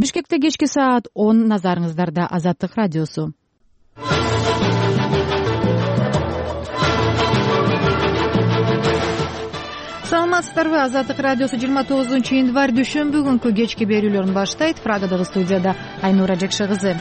Бишкекте кечки саат 10, назарыңыздарда Азаттык радиосу. Саламатсыздарбы? Азаттык радиосу 29 январь дүйшөмбү күнкү кечки берүүлөрүн баштайт. Прагадагы студияда Айнура Жекше кызы.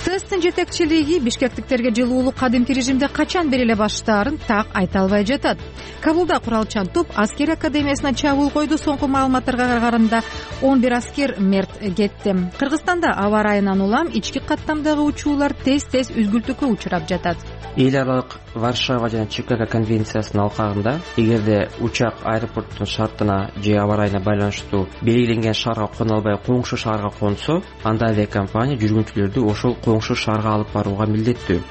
ТСТын жетекчилиги бишкектиктерге жылуулук кадимки режимде качан бериле баштаарын так айта албай жатат. Кабулда куралчан топ аскер академиясына чабуул койду. Соңку маалыматтарга караганда 11 аскер мерт кетти. Кыргызстанда аба ырайынан улам ички каттамдагы учуулар тез-тез үзгүлтүккө учурап жатат. Эл аралык Варшава жана Чикаго конвенциясынын алкагында эгерде учак аэропорттун шартына же аба ырайына байланыштуу белгиленген шаарга кона албай коңшу шаарга консо, анда авиакомпания жүргүнчүлөрдү ошол коңшу шаарга алып барууга милдеттүү.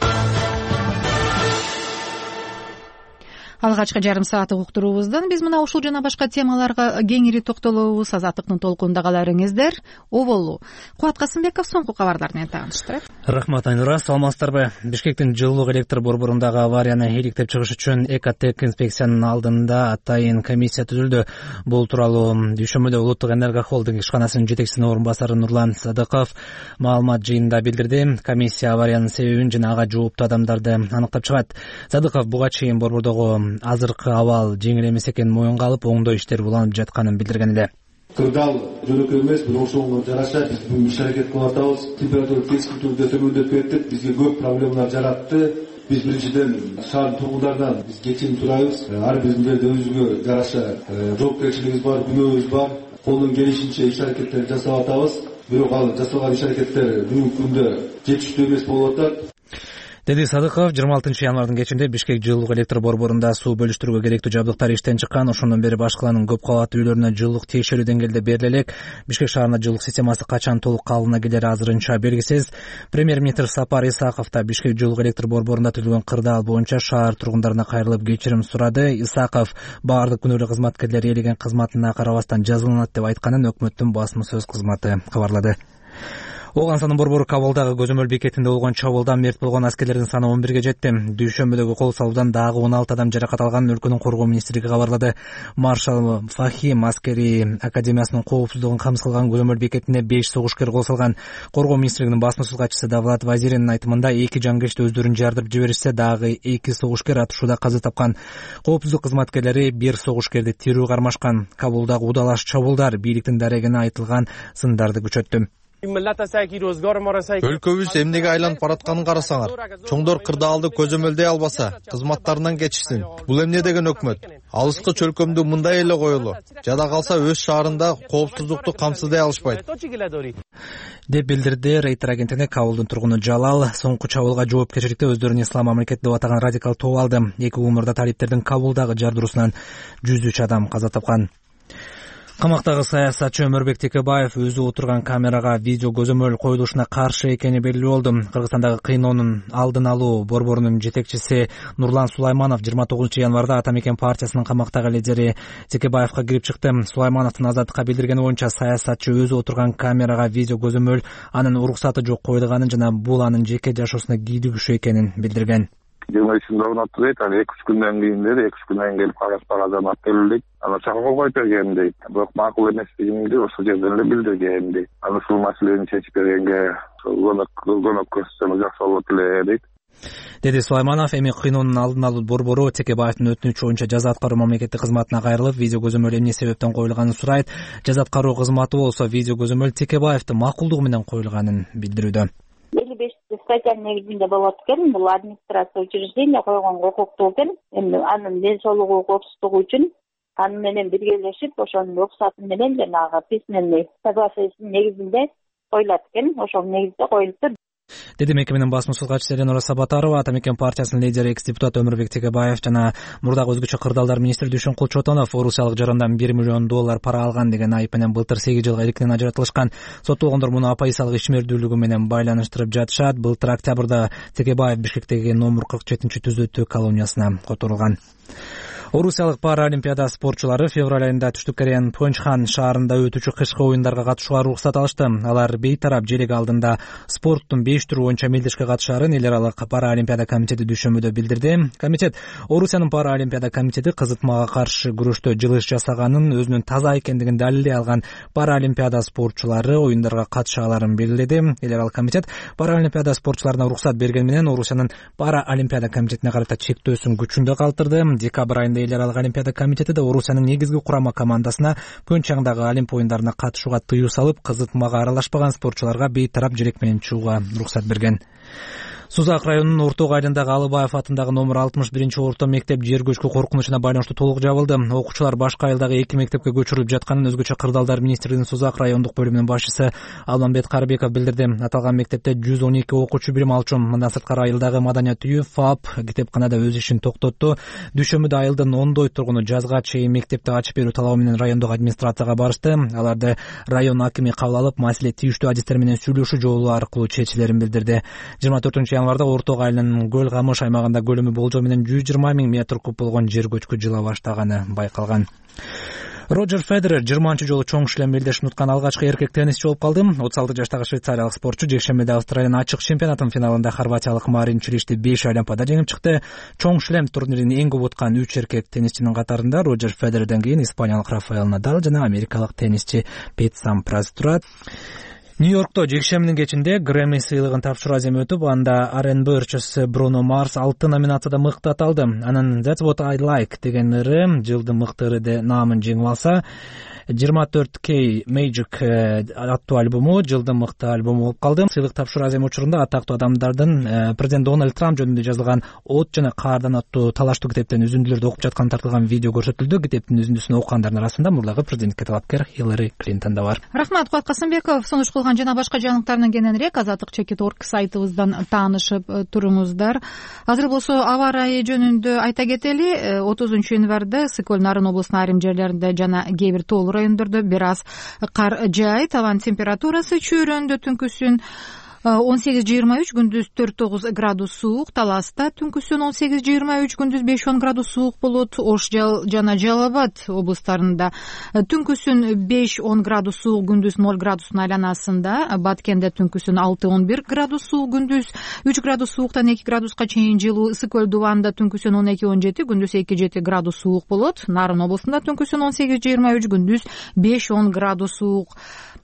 Алгачкы жарым сааттык уктуруубуздан биз мына ушул жана башка темаларга кеңири токтолобуз. Азаттыктын толкунунда каларыңыздар. Оболу Кубат Касымбеков соңку кабарлар менен тааныштырат. Рахмат Айнура, саламатсыздарбы? Бишкектин жылуулук электр борборундагы аварияны иликтеп чыгыш үчүн Экотек инспекциянын алдында атайын комиссия түзүлдү. Бул тууралуу дүйшөмбүдө Улуттук энерго холдинг ишканасынын жетекчисинин орун басары Нурлан Садыков маалымат жыйынында билдирди. Комиссия авариянын себебин жана ага жооптуу адамдарды аныктап чыгат. Садыков буга чейин борбордогу азыркы абал жеңил эмес экенин моюнга алып, оңдоо иштери уланып жатканын билдирген эле. Кырдаал жөнөкөй эмес, бирок ошого жараша биз бүгүн иш аракет кылып атабыз. Температура keskin түрдө төмөндөп кетти, бизге көп проблемалар жаратты. Биз биринчиден шаардын тургундарынан биз кечирим сурайбыз. Ар биздин өзүгө жараша жоопкерчилигибиз бар, күнөөбүз бар. Колдон келишинче иш аракеттерди жасап атабыз. Бирок ал жасалган иш аракеттер бүгүнкү күндө жетиштүү эмес болуп атат, деди Садыков. 26 январдын кечинде Бишкек жылуулук электр борборунда суу бөлүштүрүүгө керектүү жабдыктар иштен чыккан. Ошондон бери башкаланын көп кабаттуу үйлөрүнө жылуулук тиешелүү деңгээлде бериле элек. Бишкек шаарына жылуулук системасы качан толук калыбына келери азырынча белгисиз. Премьер-министр Сапар Исаков да Бишкек жылуулук электр борборунда түзүлгөн кырдаал боюнча шаар тургундарына кайрылып кечирим сурады. Исаков баардык күнөөлүү кызматкерлер ээлеген кызматына карабастан жазаланат деп айтканын өкмөттүн басма сөз кызматы кабарлады. Оогансанын борбору Кабылдагы көзөмөл бекетинде болгон чабуулдан мерт болгон аскерлердин саны 11ге жетти. Дүйшөмбүдөгү кол салуудан дагы 16 адам жаракат алганын өлкөнүн коргоо министрлиги кабарлады. Маршал Фахим аскери академиясынын коопсуздугун камсыз кылган көзөмөл бекетине 5 согушкер кол салган. Коргоо министрлигинин басма сөз катчысы Давлат Вазиринин айтымында 2 жангечти өздөрүн жардырып жиберишсе, дагы 2 согушкер атышууда каза тапкан. Коопсуздук кызматкерлери 1 согушкерди тирүү кармашкан. Кабылдагы удалаш чабуулдар бийликтин дарегине айтылган сындарды күчөттү. Өлкөбүз эмнеге айланып баратканын карасаңар. Чоңдор кырдаалды көзөмөлдөй албаса, кызматтарынан кечишсин. Бул эмне деген өкмөт? Алыскы чөлкөмдү мындай эле коелу. Жада калса өз шаарында коопсуздукту камсыздай алышпайт, деп билдирди Рейтер агенттигине Кабылдын тургуну Жалал. Соңку чабуулга жоопкерчиликти өздөрүн ислам мамлекети деп атаган радикал топ алды. 2 умурда талиптердин Кабылдагы жардыруусунан 103 адам каза тапкан. Камактагы саясатчы Өмөрбек Текебаев өзү отурган камерага видео көзөмөл коюлушуна каршы экени белгилүү болду. Кыргызстандагы кыйноонун алдын алуу борборунун жетекчиси Нурлан Сулайманов 29 январда Ата Мекен партиясынын камактагы лидери Текебаевка кирип чыкты. Сулаймановдун Азаттыкка билдиргени боюнча, саясатчы өзү отурган камерага видео көзөмөл анын уруксаты жок коюлганын жана бул анын жеке жашоосуна кийлигишүү экенин билдирген. 23-нда орнотту дейт, аны 2-3 күндөн кийин дейт, 2-3 күндөн келип кагаздан ат берилди. Аны чакырып койуп берген дейт. Бирок макул эместигинди ошол жерден эле билдирген дейт. Аны ушул маселени чечип бергенге көмөк көрсөтсөң жакшы болот эле дейт, деди Сулайманов. Эми кыйноонун алдын алуу борбору Текебаевдин өтүнүчү боюнча жаза аткаруу мамлекеттик кызматына кайрылып, видео көзөмөл эмне себептен коюлганын сурайт. Жаза аткаруу кызматы болсо видео көзөмөл Текебаевдин макулдугу менен коюлганын билдирүүдө. 55 статьянын негизинде болот экен. Бул администрация учреждение койгон укуктуу экен. Эми анын ден соолугу, коопсуздугу үчүн аны менен биргелешип, ошонун руксаты менен жанагы письменный соглашениянын негизинде коюлат экен. Ошол негизде коюлуптур, деди мекеменин басма сөз катчысы Эленора Сабатарова. Ата Мекен партиясынын лидери экс-депутат Өмөрбек Текебаев жана мурдагы өзгөчө кырдаалдар министри Дүйшөнкул Чотонов Орусиялык жарандан $1 миллион пара алган деген айып менен былтыр 8 жылга иликинен ажыратылышкан. Соттолгондор муну оппозициялык ишмердүүлүгү менен байланыштырып жатышат. Былтыр октябрда Текебаев Бишкектеги номер 47-түзөтүү колониясына которулган. Орусиялык параолимпиада спортчулары февраль айында Түштүк Кореянын Пхенчхан шаарында өтүүчү кышкы оюндарга катышууга уруксат алышты. Алар бейтарап желек алдында спорттун 5 түрү боюнча мелдешке катышаарын эл аралык параолимпиада комитети дүйшөмбүдө билдирди. Комитет Орусиянын параолимпиада комитети кызытмага каршы күрөштө жылыш жасаганын, өзүнүн таза экендигин далилдей алган параолимпиада спортчулары оюндарга катыша аларын белгиледи. Эл аралык комитет параолимпиада спортчуларына уруксат берген менен Орусиянын параолимпиада комитетине карата чектөөсүн күчүндө калтырды. Декабрь айында эл аралык олимпиада комитети да Орусиянын негизги курама командасына Пхенчхандагы Олимп оюндарына катышууга тыюу салып, кызытмага аралашпаган спортчуларга бейтарап желек менен чыгууга уруксат берген. Сузак районунун Орток айылындагы Алыбаев атындагы номер 61 орто мектеп жер көчкү коркунучуна байланыштуу толук жабылды. Окуучулар башка айылдагы 2 мектепке көчүрүлүп жатканын өзгөчө кырдаалдар министрлигинин Сузак райондук бөлүмүнүн башчысы Алмамбет Карыбеков билдирди. Аталган мектепте 112 окуучу билим алчу. Мындан сырткары айылдагы Маданият үйү, ФАП китепканада өз ишин токтотту. Дүйшөмбүдө айылдын ондой тургуну жазга чейин мектепти ачып берүү талабы менен райондук администрацияга барышты. Аларды район акими кабыл алып, маселе тийиштүү адистер менен сүйлөшүү жолу аркылуу чечилерин билдирди. 24-январда Орток айылынын Көл Камыш аймагында көлөмү болжол менен 120 000 метр куб болгон жер көчкү жыла баштаганы байкалган. Роджер Федерер 20 жолу чоң шлем белдешин уткан алгачкы эркек теннисчи болуп калды. 36 жаштагы швейцариялык спортчу жекшембиде Австралиянын ачык чемпионатынын финалында хорватиялык Марин Чилишти 5 олимпиада жеңип чыкты. Чоң шлем турнирин эң көп уткан 3 эркек теннисчинин катарында Роджер Федерерден кийин испаниялык Рафаэль Надал жана америкалык теннисчи Пет Сампрас турат. Нью-Йоркто жекшембинин кечинде Грэмми сыйлыгын тапшыруу аземи өтүп, анда R&B ырчысы Бруно Марс 6 номинацияда мыкты аталды. Анын That's What I Like деген ыры жылдын мыкты ыры деп наамын жеңип алса, 24K Magic аттуу альбому жылдын мыкты альбому болуп калды. Сыйлык тапшыруу аземи учурунда атактуу адамдардын президент Дональд Трамп жөнүндө жазылган От жана Каардан аттуу талаштуу китептен үзүндүлөрдү окуп жатканы тартылган видео көрсөтүлдү. Китептин үзүндүсүн окугандардын арасында мурдагы президентке талапкер Хиллари Клинтон да бар. Рахмат, Кубат Касымбеков. Сунуш кылган жана башка жаңылыктардан кененирээк azatlyk.org сайтыбыздан таанышып туруңуздар. Азыр болсо аба ырайы жөнүндө айта кетели. 30 январда Сыкөл Нарын облусунун айрым жерлеринде жана кээ бир тоолуу райондордо бир аз кар жаайт. Абанын температурасы чөйрөндө түнкүсүн 18-23, күндүз 4-9 градус суук. Таласта түнкүсүн 18-23, күндүз 5-10 градус суук болот. Ош жана Жалал Абад облустарында түнкүсүн 5-10 градус суук, күндүз 0 градустун айланасында. Баткенде түнкүсүн 6-11 градус суук, күндүз 3 градус сууктан 2 градуска чейин жылуу. Сыкөл Дубанда түнкүсүн 12-17, күндүз 2-7 градус суук болот. Нарын облусунда түнкүсүн 18-23, күндүз 5-10 градус суук.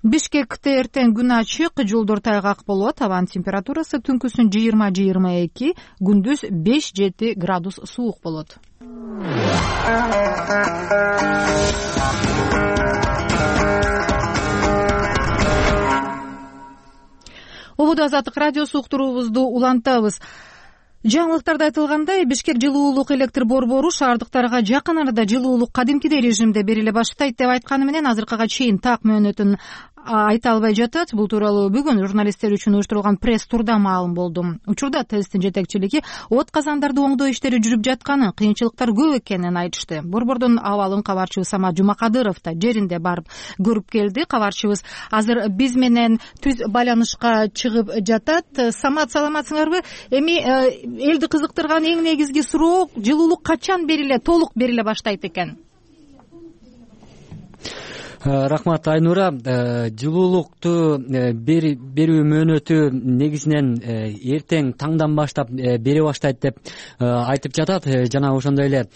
Бишкекте эртең күн ачык, жолдор тайгак болот. Абанын температурасы түнкүсүн 20-22, күндүз 5-7 градус суук болот. Ободо Азаттык радиосу уктуруубузду улантабыз. Жаңылыктарда айтылгандай, Бишкек жылуулук электр борбору шаардыктарга жакын арада жылуулук кадимкидей режимде бериле баштайт деп айтканы менен азыркыга чейин так мөөнөтүн айта албай жатат. Бул тууралуу бүгүн журналисттер үчүн уюштурулган пресс турда маалым болду. Учурда ТЭСтин жетекчилиги от казандарды оңдоо иштери жүрүп жатканын, кыйынчылыктар көп экенин айтышты. Борбордун абалын кабарчыбыз Самат Жумакадыров да жеринде барып көрүп келди. Кабарчыбыз азыр биз менен түз байланышка чыгып жатат. Самат, саламатсыңарбы? Эми элди кызыктырган эң негизги суроо, жылуулук качан толук бериле баштайт экен? Рахмат, Айнура. Жылуулукту берүү мөөнөтү негизинен эртең таңдан баштап бере баштайт деп айтып жатат. Жана ошондой эле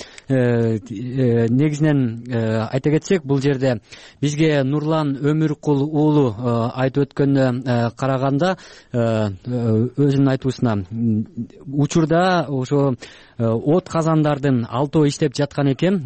негизинен айта кетсек, бул жерде бизге Нурлан Өмүркул уулу айтып өткөнүнө караганда, өзүнүн айтуусуна, учурда ошо от казандардын 6 иштеп жаткан экен.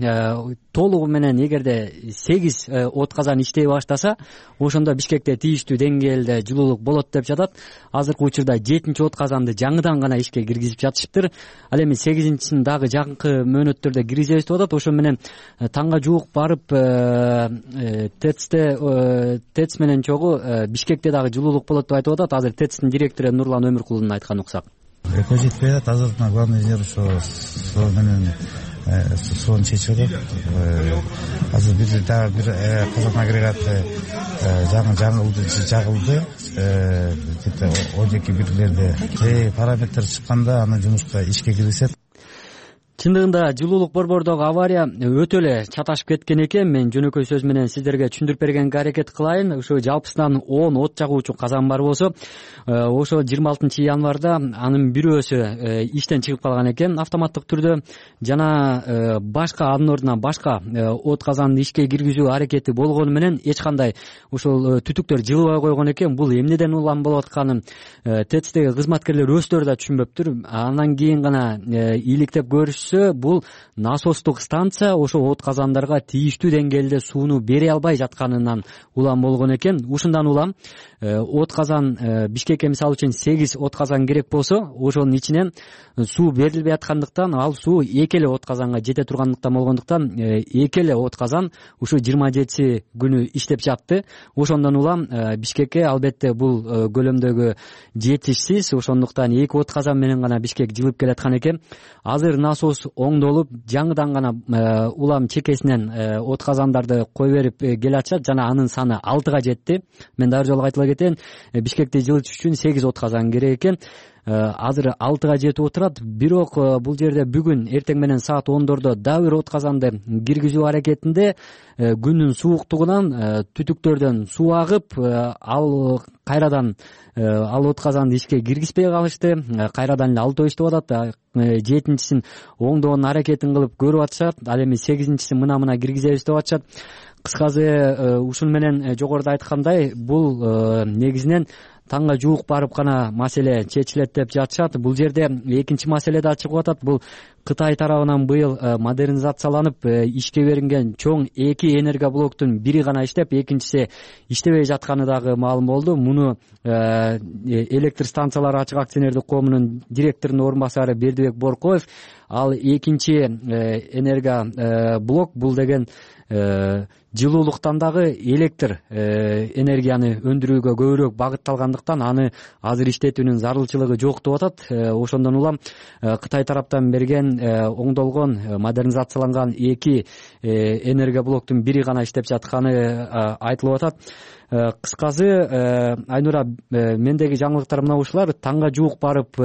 Толугу менен эгерде 8 от казан иштей баштаса, ошондо Бишкекте тийиштүү деңгээлде жылуулук болот деп жатат. Азыркы учурда 7 от казанды жаңыдан гана ишке киргизип жатышыптыр. Ал эми 8-син дагы жакынкы мөөнөттөрдө киргизебиз деп атат. Ошо менен таңга жуук барып ТЭЦ менен чогуу Бишкекте дагы жылуулук болот деп айтып атат. Азыр ТЭЦтин директору Нурлан Өмүркулдун айтканы уксак. Эко жетпей атат. Азыр главный инженер ошо суу менен сууну чечип атат. Азыр бир дагы бир казан агрегаты жагылды. Где-то 12 бирлерде параметр чыкканда аны жумушка ишке киргизет. Чындыгында жылуулук борбордогу авария өтө эле чаташып кеткен экен. Мен жөнөкөй сөз менен сиздерге түшүндүрүп бергенге аракет кылайын. Ошо жалпысынан 10 от жагуучу казан бар болсо, ошо 26 январда анын бирөөсү иштен чыгып калган экен автоматтык түрдө, жана башка анын ордуна башка от казанды ишке киргизүү аракети болгону менен эч кандай ушул түтүктөр жылыбай койгон экен. Бул эмнеден улам болуп атканын ТЭЦтеги кызматкерлер өздөрү да түшүнбөптүр. Андан кийин гана иликтеп көрүшсө, бул насостук станция ошо от казандарга тийиштүү деңгээлде сууну бере албай жатканынан улам болгон экен. Ушундан улам от казан Бишкекке мисалы үчүн 8 от казан керек болсо, ошонун ичинен суу берилбей аткандыктан, ал суу эки эле от казанга жете тургандыктан болгондуктан эки эле от казан ушу 27 күнү иштеп жатты. Ошондон улам Бишкекке албетте бул көлөмдөгү жетишсиз, ошондуктан эки от казан менен гана Бишкек жылып келаткан экен. Азыр насос оңдолуп, жаңыдан гана улам чекесинен от казандарды кой берип келатышат жана анын саны 6га жетти. Мен дагы жолу кайталап кетейин, Бишкекти жылытыш үчүн 8 от казан керек экен. Азыр 6га жетип отурат. Бирок бул жерде бүгүн эртең менен саат 10дордо дагы бир от казанды киргизүү аракетинде күндүн сууктугунан түтүктөрдөн суу агып, ал кайрадан ал от казанды ишке киргизбей калышты. Кайрадан эле 6 иштеп атат. 7-син оңдоонун аракетин кылып көрүп атышат. Ал эми 8-син мына киргизебиз деп атышат. Кыскасы ушун менен жогоруда айткандай, бул негизинен таңга жуук барып гана маселе чечилет деп жатышат. Бул жерде экинчи маселе да чыгып атат. Бул Кытай тарабынан быйыл модернизацияланып ишке берилген чоң 2 энергоблоктун бири гана иштеп, экинчиси иштебей жатканы дагы маалым болду. Муну электр станциялары ачык акционердик коомунун директорунун орун басары Бердибек Боркоев, ал экинчи энергоблок бул деген жылуулуктан дагы электр энергияны өндүрүүгө көбүрөөк багытталгандыктан аны азыр иштетүүнүн зарылчылыгы жок деп атат. Ошондон улам Кытай тараптан берген оңдолгон модернизацияланган 2 энергоблоктун бири гана иштеп жатканы айтылып атат. Кыскасы, Айнура, мендеги жаңылыктар мына ушулар. Таңга жуук барып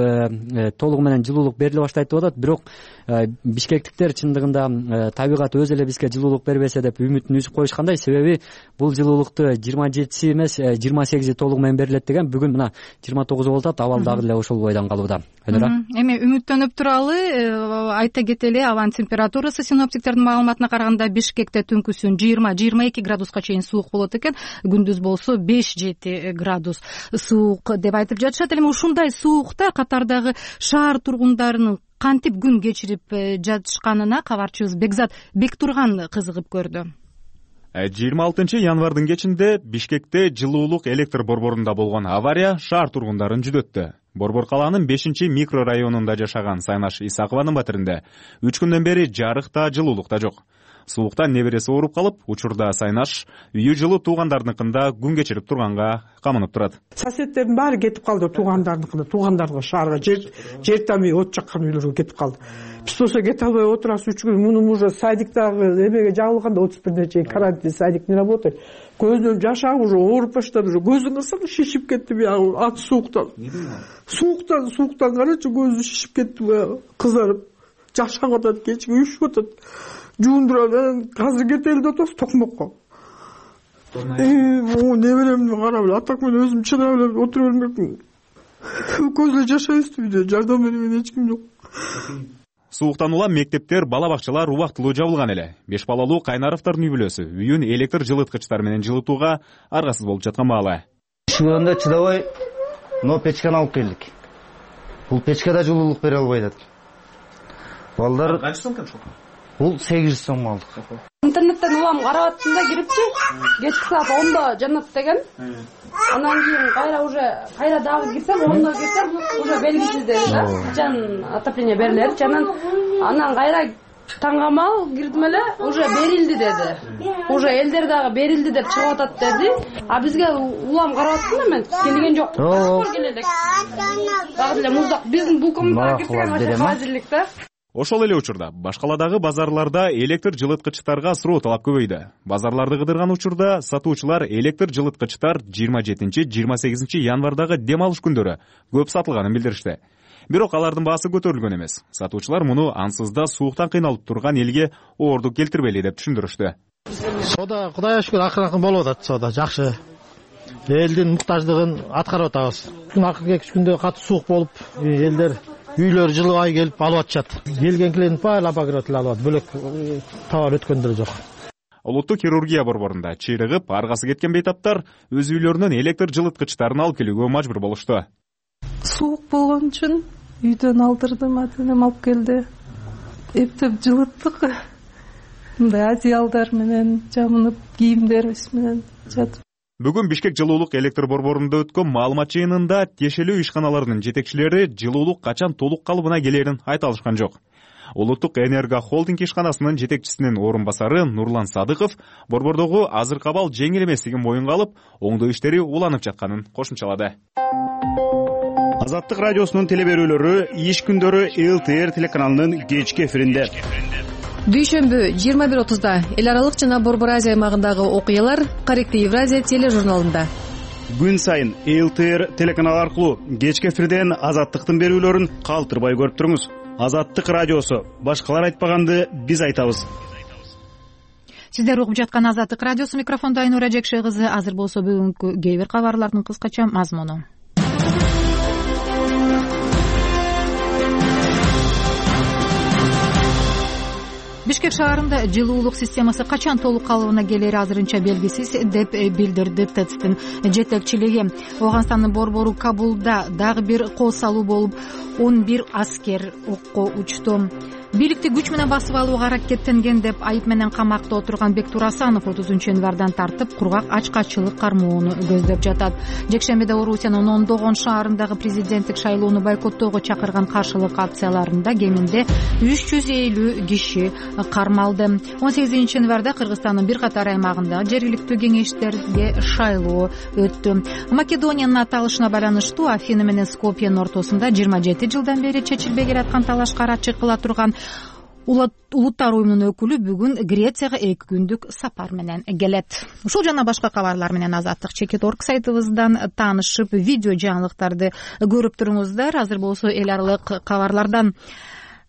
толугу менен жылуулук бериле баштайт деп атат. Бирок бишкектиктер чындыгында табигат өзү эле бизге жылуулук бербесе деп үмүтүн үзүп коюшкандай. Себеби бул жылуулукту 27 эмес 28 толугу менен берилет деген. Бүгүн мына 29 болуп атат. Абал дагы эле ошол бойдон калууда. Эми үмүттөнүп туралы айта кетели, абанын температурасы синоптиктердин маалыматына караганда Бишкекте түнкүсүн 20-22 градуска чейин суук болот экен. Күндүз болсо 5-7 градус суук деп айтып жатышат. Эми ушундай суукта катардагы шаар тургундарынын кантип күн кечирип жатышканына кабарчыбыз Бекзат Бектурган кызыгып көрдү. 26 январдын кечинде Бишкекте жылуулук электр борборунда болгон авария шаар тургундарын жүдөттү. Борбор калаанын 5-микрорайонунда жашаган Сайнаш Исакованын батиринде 3 күндөн бери жарык да жылуулук да жок. Сууктан небереси ооруп калып, учурда Сайнаш үйү жылы туугандарыныкында күн кечирип турганга камынып турат. Соседтердин баары кетип калды, туугандарга шаарга жер тамый от жаккан үйлөргө кетип калды. Биз болсо кете албай отурабыз 3 күн. Муну уже садиктагы эмеге жабылганда 31 чейин карантин, садик не работает. Көзүнөн жаш агып уже ооруп баштады, уже көзүн кырсам шишип кетти баягы ат сууктан. Сууктан карачы көзү шишип кетти баягы, кызарып. Жаш агып атат, кечки үйүшүп атат. Жуундурап, азыр кетели деп атабыз токмокко. Неберемди карап эле, атак менен өзүм чыдап эле отура бермекмин. Көз эле жашайбыз үйдө, жардам бере берген эч ким жок. Сууктан улам мектептер, бала бакчалар убактылуу жабылган эле. 5 балалуу Кайнаровдордун үй бүлөсү үйүн электр жылыткычтар менен жылытууга аргасыз болуп жаткан маалы. Ишиганда чыдабай, но печканы алып келдик. Бул печкада жылуулук бере албай атат. Балдар канча сом экен ошо? Бул 800 сом алдык. Интернеттен улам карап аттым да кирипчи, кечки саат 10до жанат деген. Анан кийин кайра дагы кирсем, 10до кирсем, уже белгисиз деди да. Качан отопление берилет, анан кайра таңгамал кирдим эле, уже берилди деди. Уже элдер дагы берилди деп чыгып атат деди. А бизге улам карап аттым да мен, келген жок. Башкор келелек. Дагы эле муздак биздин бул комнатага кирген хазирлик да. Ошол эле учурда башкаладагы базарларда электр жылыткычтарга суроо талап көбөйдү. Базарларды кыдырган учурда сатуучулар электр жылыткычтар 27-28 январдагы дем алыш күндөрү көп сатылганын билдиришти. Бирок алардын баасы көтөрүлгөн эмес. Сатуучулар муну ансыз да сууктан кыйналып турган элге оордук келтирбейли деп түшүндүрүштү. Соода Кудайга шүгүр акырын болуп атат, соода жакшы. Элдин муктаждыгын аткарып атабыз. Акыркы 2 күндө катуу суук болуп, элдер үйлөр жылыбай келип алып атышат. Келгенкилердин баары обогреватель алып атат. Бөлөк товар өткөндөр жок. Улуттук хирургия борборунда чыйрыгып, аргасы кеткен бейтаптар өз үйлөрүнөн электр жылыткычтарын алып келүүгө мажбур болушту. Суук болгон үчүн үйдөн алдырдым, ата-энем алып келди. Эптеп жылыттык. Мындай одеялдар менен жамынып, кийимдерибиз менен жатып. Бүгүн Бишкек жылуулук электр борборунда өткөн маалымат жыйынында тиешелүү ишканаларынын жетекчилери жылуулук качан толук калыбына келерин айта алышкан жок. Улуттук энерго холдинг ишканасынын жетекчисинин орун басары Нурлан Садыков борбордогу азыркы абал жеңил эместигин моюнга алып, оңдоо иштери уланып жатканын кошумчалады. Азаттык радиосунун телеберүүлөрү иш күндөрү ЛТР телеканалынын кечки эфиринде. Дүйшөмбү 21:30да эл аралык жана Борбор Азия аймагындагы окуялар Каректи Евразия тележурналында. Күн сайын ЛТР телеканалы аркылуу кечки эфирден Азаттыктын берүүлөрүн калтырбай көрүп туруңуз. Азаттык радиосу. Башкалар айтпаганды биз айтабыз. Сиздер угуп жаткан Азаттык радиосу, микрофондо Айнура Жекше кызы. Азыр болсо бүгүнкү кээ бир кабарлардын кыскача мазмуну. Бишкек шаарында жылуулук системасы качан толук калыбына келери азырынча белгисиз деп билдирди ТЭЦтин жетекчилиги. Ооганстандын борбору Кабулда дагы бир кол салуу болуп, 11 аскер окко учту. Бийликти күч менен басып алууга аракеттенген деп айып менен камакта отурган Бектур Асанов 30-январдан тартып кургак ачкачылык кармоону көздөп жатат. Жекшембиде Орусиянын ондогон шаарындагы президенттик шайлоону бойкоттоого чакырган каршылык акцияларында кеминде 350 киши кармалды. 18-январда Кыргызстандын бир катар аймагында жергиликтүү кеңештерге шайлоо өттү. Македониянын аталышына байланыштуу Афина менен Скопьенин ортосунда 27 жылдан бери чечилбей келаткан талашка арачы кыла турган Улуттар уюмунун өкүлү бүгүн Грецияга 2 күндүк сапар менен келет. Ушул жана башка кабарлар менен Азаттык Чекит.орг сайтыбыздан таанышып, видео жаңылыктарды көрүп туруңуздар. Азыр болсо эл аралык кабарлардан.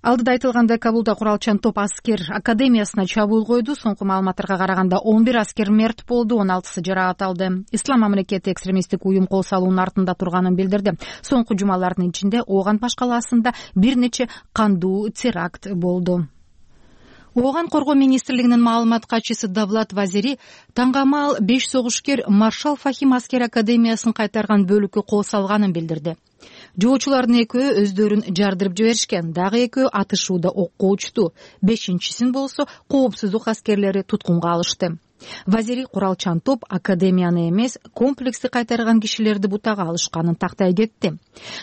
Алдыда айтылгандай, Кабулда куралчан топ аскер академиясына чабуул койду. Соңку маалыматтарга караганда 11 аскер мерт болду, 16сы жаракат алды. Ислам мамлекети экстремисттик уюм кол салуунун артында турганын билдирди. Соңку жумалардын ичинде Ооган баш калаасында бир нече кандуу теракт болду. Ооган коргоо министрлигинин маалымат катчысы Давлат Вазири таңгамал 5 согушкер Маршал Фахим аскер академиясын кайтарган бөлүккө кол салганын билдирди. Жоочулардын экөө өздөрүн жардырып жиберишкен, дагы экөө атышууда окко учту. 5-син болсо коопсуздук аскерлери туткунга алышты. Вазири куралчан топ академияны эмес, комплекси кайтарган кишилерди бутага алышканын тактай кетти.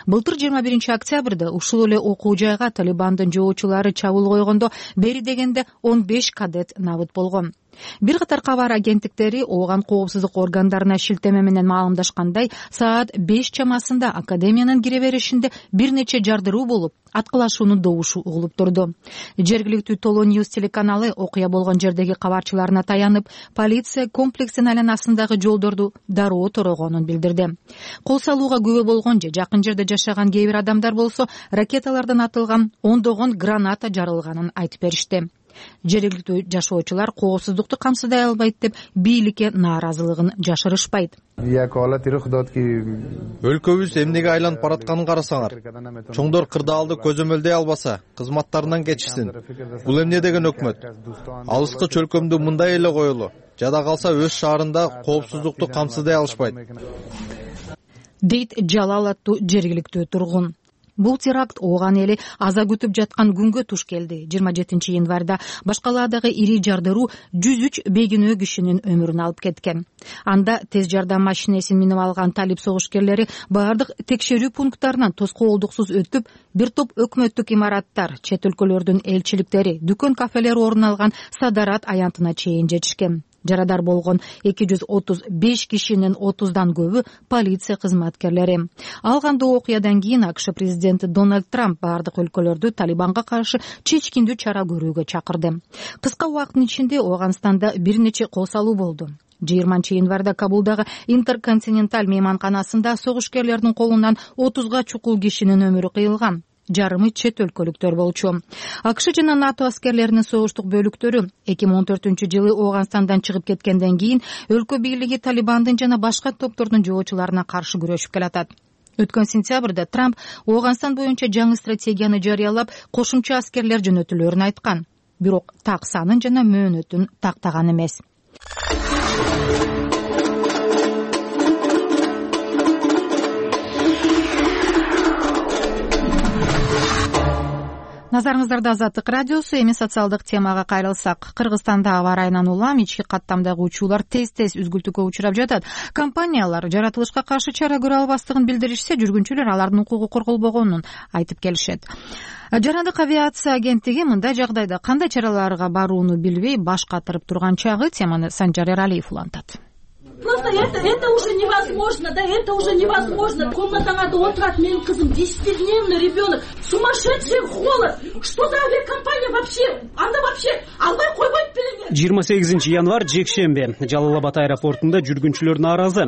Былтыр 21 октябрда ушул эле окуу жайга Талибандын жоочулары чабуул койгондо бери дегенде 15 кадет набыт болгон. Бир катар кабар агенттиктери Ооган коопсуздук органдарына шилтеме менен маалымдашкандай, саат 5 чамасында академиянын кире беришинде бир нече жардыруу болуп, аткылашуунун добушу угулуп турду. Жергиликтүү Толо Ньюс телеканалы окуя болгон жердеги кабарчыларына таянып, полиция комплексин айланасындагы жолдорду дароо торогонун билдирди. Кол салууга күбө болгон же жакын жерде жашаган кээ бир адамдар болсо, ракеталардан атылган ондогон граната жарылганын айтып беришти. Жергиликтүү жашоочулар коопсуздукту камсыздай албайт деп бийликке нааразылыгын жашырышпайт. Өлкөбүз эмнеге айланып баратканын карасаңар. Чоңдор кырдаалды көзөмөлдөй албаса, кызматтарынан кечишсин. Бул эмне деген өкмөт? Алыскы чөлкөмдү мындай эле коелу. Жада калса өз шаарында коопсуздукту камсыздай алышпайт. Дейт Жалал аттуу жергиликтүү тургун. Бул теракт Ооган эли аза күтүп жаткан күнгө туш келди. 27-январда баш калаадагы ири жардыруу 103 бейкүнөө кишинин өмүрүн алып кеткен. Анда тез жардам машинесин минип алган талип согушкерлери баардык текшерүү пункттарынан тоскоолдуксуз өтүп, бир топ өкмөттүк имараттар, чет өлкөлөрдүн элчиликтери, дүкөн кафелер орун алган Садарат аянтына чейин жетишкен. Жарадар болгон 235 кишинин 30дан көбү полиция кызматкерлери. Ал кандуу окуядан кийин АКШ президенти Дональд Трамп бардык өлкөлөрдү Талибанга каршы чечкиндүү чара көрүүгө чакырды. Кыска убакыттын ичинде Ооганстанда бир нече кол салуу болду. 20-январда Кабулдагы Интерконтиненталь мейманканасында согушкерлердин колунан 30га чукул кишинин өмүрү кыйылган. Жарымы чет өлкөлүктөр болчу. АКШ жана НАТО аскерлеринин согуштук бөлүктөрү 2014-жылы Ооганстандан чыгып кеткенден кийин өлкө бийлиги Талибандын жана башка топтордун жоочуларына каршы күрөшүп келатат. Өткөн сентябрда Трамп Ооганстан боюнча жаңы стратегияны жарыялап, кошумча аскерлер жөнөтүлөрүн айткан. Бирок так санын жана мөөнөтүн тактаган эмес. Назарыңыздарда Азаттык радиосу. Эми социалдык темага кайрылсак, Кыргызстанда аба ырайынан улам ички каттамдагы учуулар тез-тез үзгүлтүүгө учурап жатат. Компаниялар жаратылышка каршы чара көрө албастыгын билдиришсе, жүргүнчүлөр алардын укугу корголбогонун айтып келишет. Жарандык авиация агенттиги мындай жагдайда кандай чараларга барууну билбей баш катырып турган чагы. Теманы Санжар Эралиев улантат. Просто это уже невозможно, да, это уже невозможно. Комнатаңарда отурат менин кызым, 10-дневный ребенок, сумасшедший холод. Что за авиакомпания вообще? Анда вообще албай койбойт белең. 28-январ жекшембе Жалал-Абад аэропортунда жүргүнчүлөр нааразы.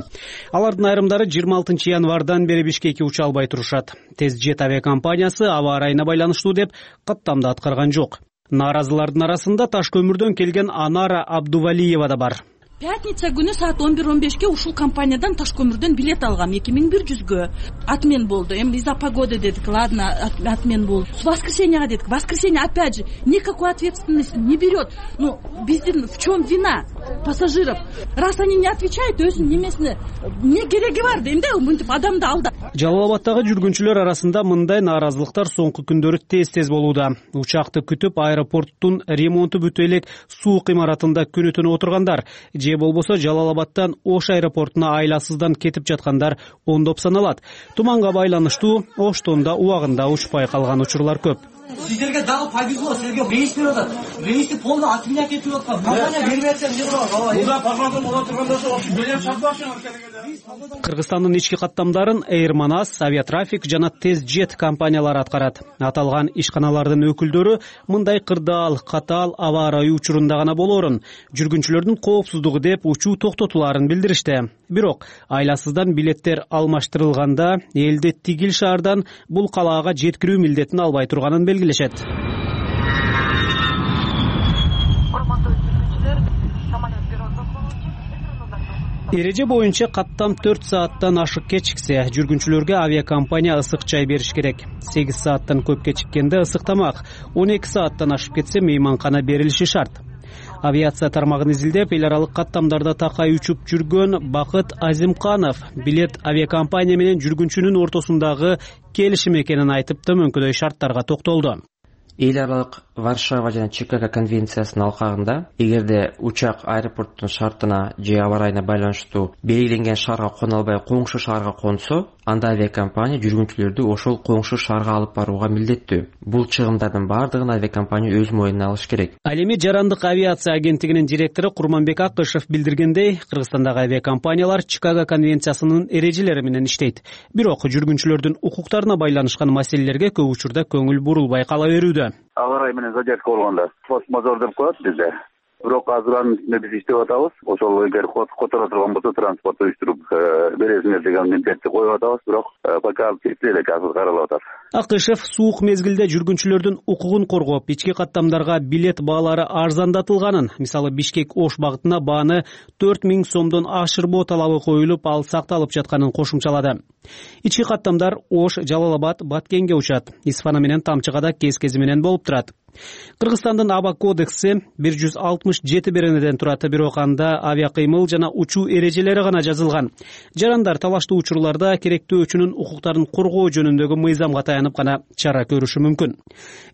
Алардын айрымдары 26-январдан бери Бишкекке уча албай турушат. Тез-жет авиакомпаниясы аба ырайына байланыштуу деп каттамды аткарган жок. Нааразылардын арасында Таш көмүрдөн келген Анара Абдувалиева да бар. Пятница күнү саат 11:15-ке ушул компаниядан Таш көмүрдөн билет алгам 2100-гө. Отмен болду. Эми из-за погоды дедик, ладно, отмен болду. С воскресеньяга дедик. Воскресенье опять же никакой ответственности не берет. Ну, биздин в чем вина пассажиров? Раз они не отвечают, өзүнүн немесине не кереги бар дейм да, мынтип адамды алдап. Жалал-Абадтагы жүргүнчүлөр арасында мындай нааразылыктар соңку күндөрү тез-тез болууда. Учакты күтүп аэропорттун ремонту бүтө элек суук имаратында күнү-түнү отургандар, же болбосо Жалал-Абадтан Ош аэропортуна айласыздан кетип жаткандар ондоп саналат. Туманга байланыштуу Оштон да убагында учпай калган учурлар көп. Сиздерге дагы повезло, силерге рейс берип атат. Рейсти полный отменять этип аткан. Компания бербей атса эмне кылабыз? Мында пожалуйста боло турганда ошо белем чаппашыңар керек. Кыргызстандын ички каттамдарын Air Manas, Aviatraffic жана Тез-жет компаниялары аткарат. Аталган ишканалардын өкүлдөрү мындай кырдаал, катаал аба ырайы учурунда гана болоорун, жүргүнчүлөрдүн коопсуздугу деп учуу токтотуларын билдиришти. Бирок айласыздан билеттер алмаштырылганда элди тигил шаардан бул калаага жеткирүү милдетин албай турганын белгилешет. Эреже боюнча каттам 4 сааттан ашык кечиксе, жүргүнчүлөргө авиакомпания ысык чай бериш керек. 8 сааттан көп кечиккенде ысык тамак, 12 сааттан ашып кетсе мейманкана берилиши шарт. Авиация тармагын изилдеп, эл аралык каттамдарда такай учуп жүргөн Бакыт Азимканов билет авиакомпания менен жүргүнчүнүн ортосундагы келишим экенин айтып, төмөнкүдөй шарттарга токтолду. Эл аралык Варшава жана Чикаго конвенциясынын алкагында, эгерде учак аэропорттун шартына же аба ырайына байланыштуу белгиленген шаарга кона албай коңшу шаарга консо, анда авиакомпания жүргүнчүлөрдү ошол коңшу шаарга алып барууга милдеттүү. Бул чыгымдардын бардыгын авиакомпания өз мойнуна алыш керек. Ал эми Жарандык авиация агенттигинин директору Курманбек Акышев билдиргендей, Кыргызстандагы авиакомпаниялар Чикаго конвенциясынын эрежелери менен иштейт. Бирок жүргүнчүлөрдүн укуктарына байланышкан маселелерге көп учурда көңүл бурулбай кала берүүдө. Аба ырайы менен задержка болгондо форс-мажор деп коет бизде. Бирок азыркы үстүндө биз иштеп атабыз. Ошол эгер которо турган болсо транспорт уюштуруп бересиңер деген милдетти коюп атабыз. Бирок пока чечиле элек, азыр каралып атат. Акышев суук мезгилде жүргүнчүлөрдүн укугун коргоп, ички каттамдарга билет баалары арзандатылганын, мисалы Бишкек-Ош багытына бааны 4000 сомдон ашырбоо талабы коюлуп, ал сакталып жатканын кошумчалады. Ички каттамдар Ош, Жалал-Абад, Баткенге учат. Исфана менен Тамчыгада кез-кези менен болуп турат. Кыргызстандын аба кодекси 167 беренеден турат, бирок анда авиакыймыл жана учуу эрежелери гана жазылган. Жарандар талаштуу учурларда керектөөчүнүн укуктарын коргоо жөнүндөгү мыйзамга таянып гана чара көрүшү мүмкүн.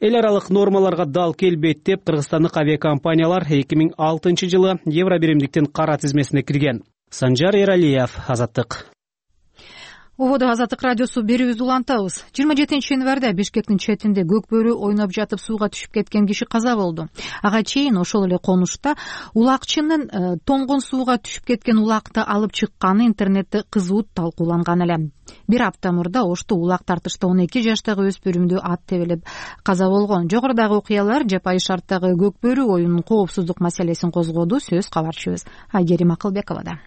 Эл аралык нормаларга дал келбейт деп кыргызстандык авиакомпаниялар 2006-жылы Евробиримдиктин кара тизмесине кирген. Санжар Эралиев, Азаттык. ободо Азаттык радиосу берүүбүздү улантабыз. 27 январда Бишкектин четинде көк бөрү ойноп жатып сууга түшүп кеткен киши каза болду. Ага чейин ошол эле конушта улакчынын тоңгон сууга түшүп кеткен улакты алып чыкканы интернетте кызуу талкууланган эле. Бир апта мурда Ошто улак тартышта 12 жаштагы өспүрүмдү ат тебелеп каза болгон. Жогорудагы окуялар жапайы шарттагы көк бөрү оюнунун коопсуздук маселесин козгоду. Сөз кабарчыбыз Айгерим Акылбековада.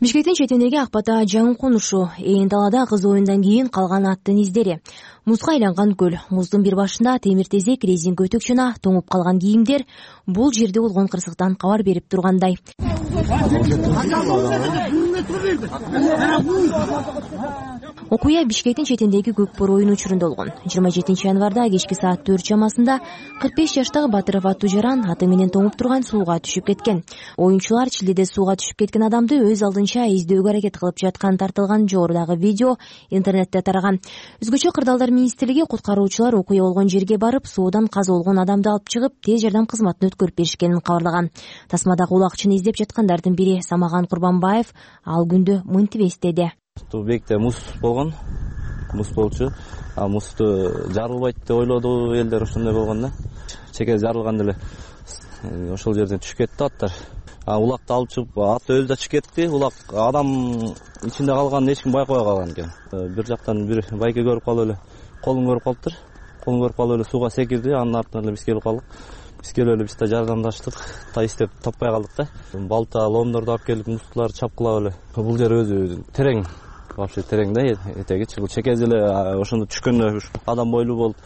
Бишкектин четиндеги Акбата жаңы конушу, ээн талаада кыз оюндан кийин калган аттын издери. Музга айланган көл, муздун бир башында темир тезек, резинка өтөк жана тоңуп калган кийимдер бул жерде болгон кырсыктан кабар берип тургандай. Окуя Бишкектин четиндеги көк бөрү оюну учурунда болгон. 27 январда кечки саат 4 чамасында 45 жаштагы Батыров аттуу жаран аты менен тоңуп турган сууга түшүп кеткен. Оюнчулар чилдеде сууга түшүп кеткен адамды өз алдынча издөөгө аракет кылып жаткан тартылган жогорудагы видео интернетте тараган. Өзгөчө Кырдаалдар министрлиги куткаруучулар окуя болгон жерге барып, суудан каза болгон адамды алып чыгып, тез жардам кызматына өткөрүп беришкенин кабарлаган. Тасмадагы улакчыны издеп жаткандардын бири Самаган Курбанбаев ал күндү мынтип эстеди. Бекте муз болгон, муз болчу. Музду жарылбайт деп ойлоду элдер, ошондой болгон да. Чеке жарылган деле ошол жерден түшүп кетти аттар. Улакты алып чыгып, ат өзү да чыгып кетти. Улак адам ичинде калганын эч ким байкабай калган экен. Бир жактан бир байке көрүп калып эле, колун көрүп калыптыр. Колун көрүп калып эле сууга секирди. Анын артынан эле биз келип калдык. Биз келип эле биз да жардамдаштык. Издеп таппай калдык да. Балта, ломдорду алып келип музтуларды чапкылап эле. Бул жер өзү терең. Вообще терең да этегичи. Бул чекеси эле ошондо түшкөндө адам бойлуу болуп,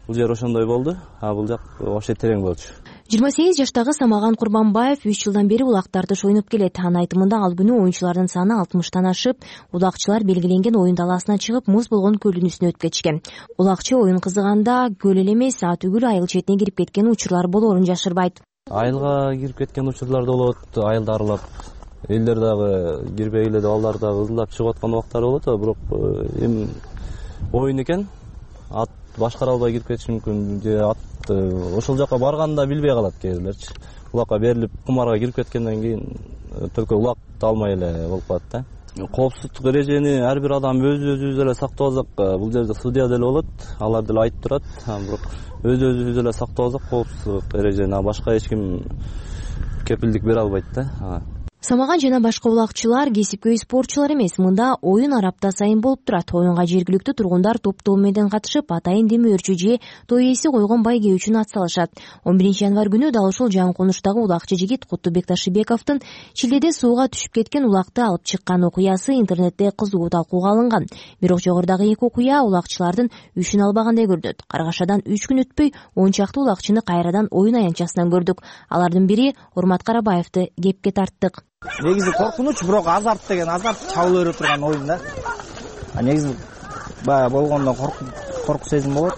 бул жер ошондой болду. Бул жак вообще терең болчу. 28 жаштагы Самаган Курбанбаев 3 жылдан бери улактарды шойнуп келет. Анын айтымында ал күнү оюнчулардын саны 60тан ашып, улакчылар белгиленген оюн талаасына чыгып, муз болгон көлдүн үстүнө өтүп кетишкен. Улакчы оюн кызыганда көл эле эмес, атүгүл айыл четине кирип кеткен учурлар болоорун жашырбайт. Айылга кирип кеткен учурлар да болот, айылды аралап. Элдер дагы кирбей эле балдар дагы ызылдап чыгып аткан убактар болот, бирок эми оюн экен, ат башкара албай кирип кетиши мүмкүн, же ат ошол жака барганда билбей калат кээрлерчи. Улакка берилип кумарга кирип кеткенден кийин только улакты алмай эле болуп калат да. Коопсуздук эрежени ар бир адам өзүбүз эле сактабасак, бул жерде судья деле болот, алар деле айтып турат, бирок өзүбүз эле сактабасак коопсуздук эрежени башка эч ким кепилдик бере албайт да. Самаган жана башка улакчылар кесипкөй спортчулар эмес, мында оюн арапта сайын болуп турат. Оюнга жергиликтүү тургундар топтоо менен катышып, атайын демөөрчү же той ээси койгон байге үчүн ат салышат. 11 январ күнү дал ушул жаңы конуштагы улакчы жигит Куттубек Ташыбековдун чилдеде сууга түшүп кеткен улакты алып чыккан окуясы интернетте кызуу талкууга алынган. Бирок жогорудагы эки окуя улакчылардын үшүн албагандай көрүнөт. Каргашадан 3 күн өтпөй 10 чакты улакчыны кайрадан оюн аянтчасынан көрдүк. Алардын бири Урмат Карабаевди кепке тарттык. Негизи коркунуч, бирок азарт деген азарт чабыла бере турган оюн да. Негизи баягы болгондо корку сезим болот,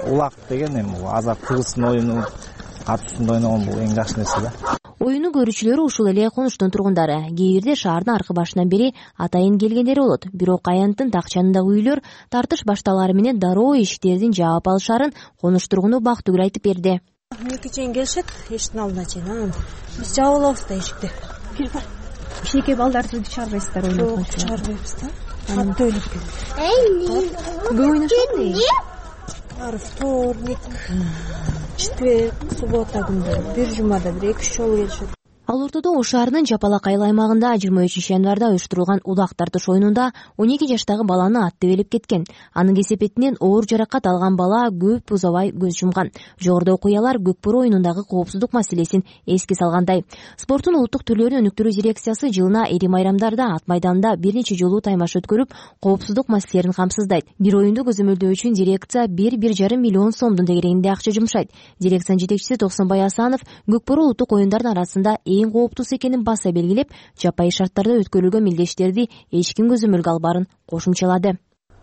улак деген эми азарт тыгыздын оюну, ат үстүндө ойногон бул эң жакшы нерсе да. Оюну көрүүчүлөрү ушул эле конуштун тургундары. Кээ бирде шаардын аркы башынан бери атайын келгендери болот. Бирок аянттын такчанындагы үйлөр тартыш башталары менен дароо эшиктердин жаап алышарын конуш тургуну Бактыгүл айтып берди. 2 чейин келишет, эшиктин алдына чейин. Биз жаап алабыз да эшикти. Кичинекей балдарды чыгарбайсыздар ойногон? Чыгарбайбыз да. Катты ойлоп келдик. Көп ойношот. Вторник, четверг, суббота күндөрү, бир жумада бир 2-3 жолу келишет. Ал ортодо Ош шаарынын Жапалак айыл аймагында 23 январда уюштурулган улак тартыш оюнунда 12 жаштагы баланы ат тебелеп кеткен. Анын кесепетинен оор жаракат алган бала көп узабай көз жумган. Жогоруда окуялар көк бөрү оюнундагы коопсуздук маселесин эске салгандай. Спорттун улуттук түрлөрүн өнүктүрүү дирекциясы жылына эри майрамдарда ат майданда бир нече жолу таймаш өткөрүп, коопсуздук маселелерин камсыздайт. Бир оюнду көзөмөлдөө үчүн дирекция 1,5 миллион сомдун тегерегинде акча жумшайт. Дирекциянын жетекчиси Токсонбай Асанов көк бөрү улуттук оюндардын арасында эң кооптуусу экенин баса белгилеп, жапайы шарттарда өткөрүлгөн мелдештерди эч ким көзөмөлгө албаарын кошумчалады.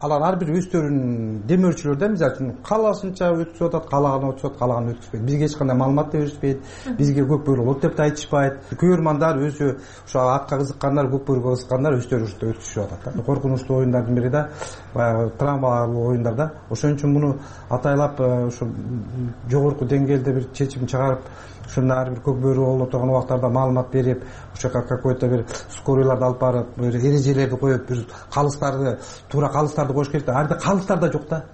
алар ар бир өздөрүнүн демөөрчүлөр да, мисалы үчүн каалашынча өткүзүп атат, каалаган өткүзүп атат, каалаган өткүзбөйт. Бизге эч кандай маалымат да беришпейт, бизге көк бөрү болот деп да айтышпайт. Көрөрмандар өзү ошо атка кызыккандар, көк бөрүгө кызыккандар өздөрү ушинтип өткүзүшүп атат да. Коркунучтуу оюндардын бири да, баягы травмалуу оюндар да. Ошон үчүн муну атайлап ушу жогорку деңгээлде бир чечим чыгарып, ушундай ар бир көк бөрү боло турган убактарда маалымат берип, ошо какой-то бир скорийларды алып барып, бир эрежелерди коюп, бир калыстарды, туура калыстарды коюш керек да. Ар жерде калыстар да жок да.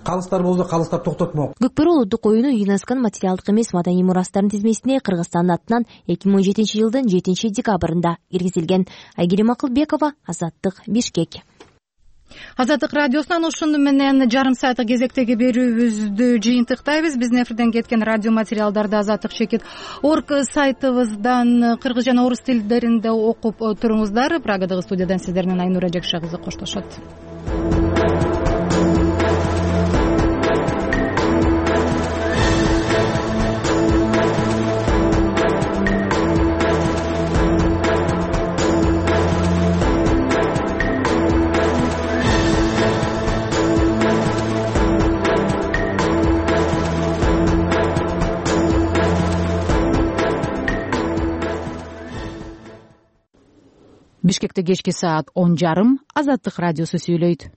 Калыстар болсо калыстар токтотмок. Көкбөрү улуттук оюну ЮНЕСКОнун материалдык эмес маданий мурастардын тизмесине Кыргызстандын атынан 2017-жылдын 7-декабрында киргизилген. Айгерим Акылбекова, Азаттык, Бишкек. Азаттык радиосунан ушуну менен жарым сааттык кезектеги берүүбүздү жыйынтыктайбыз. Биздин эфирден кеткен радио материалдарды Азаттык Шекит орг сайтыбыздан кыргыз жана орус тилдеринде окуп туруңуздар. Прагадагы студиядан сиздер менен Айнура Жекше кызы коштошот. Бишкекте кечки саат 10:30 Азаттык радиосу сүйлөйт.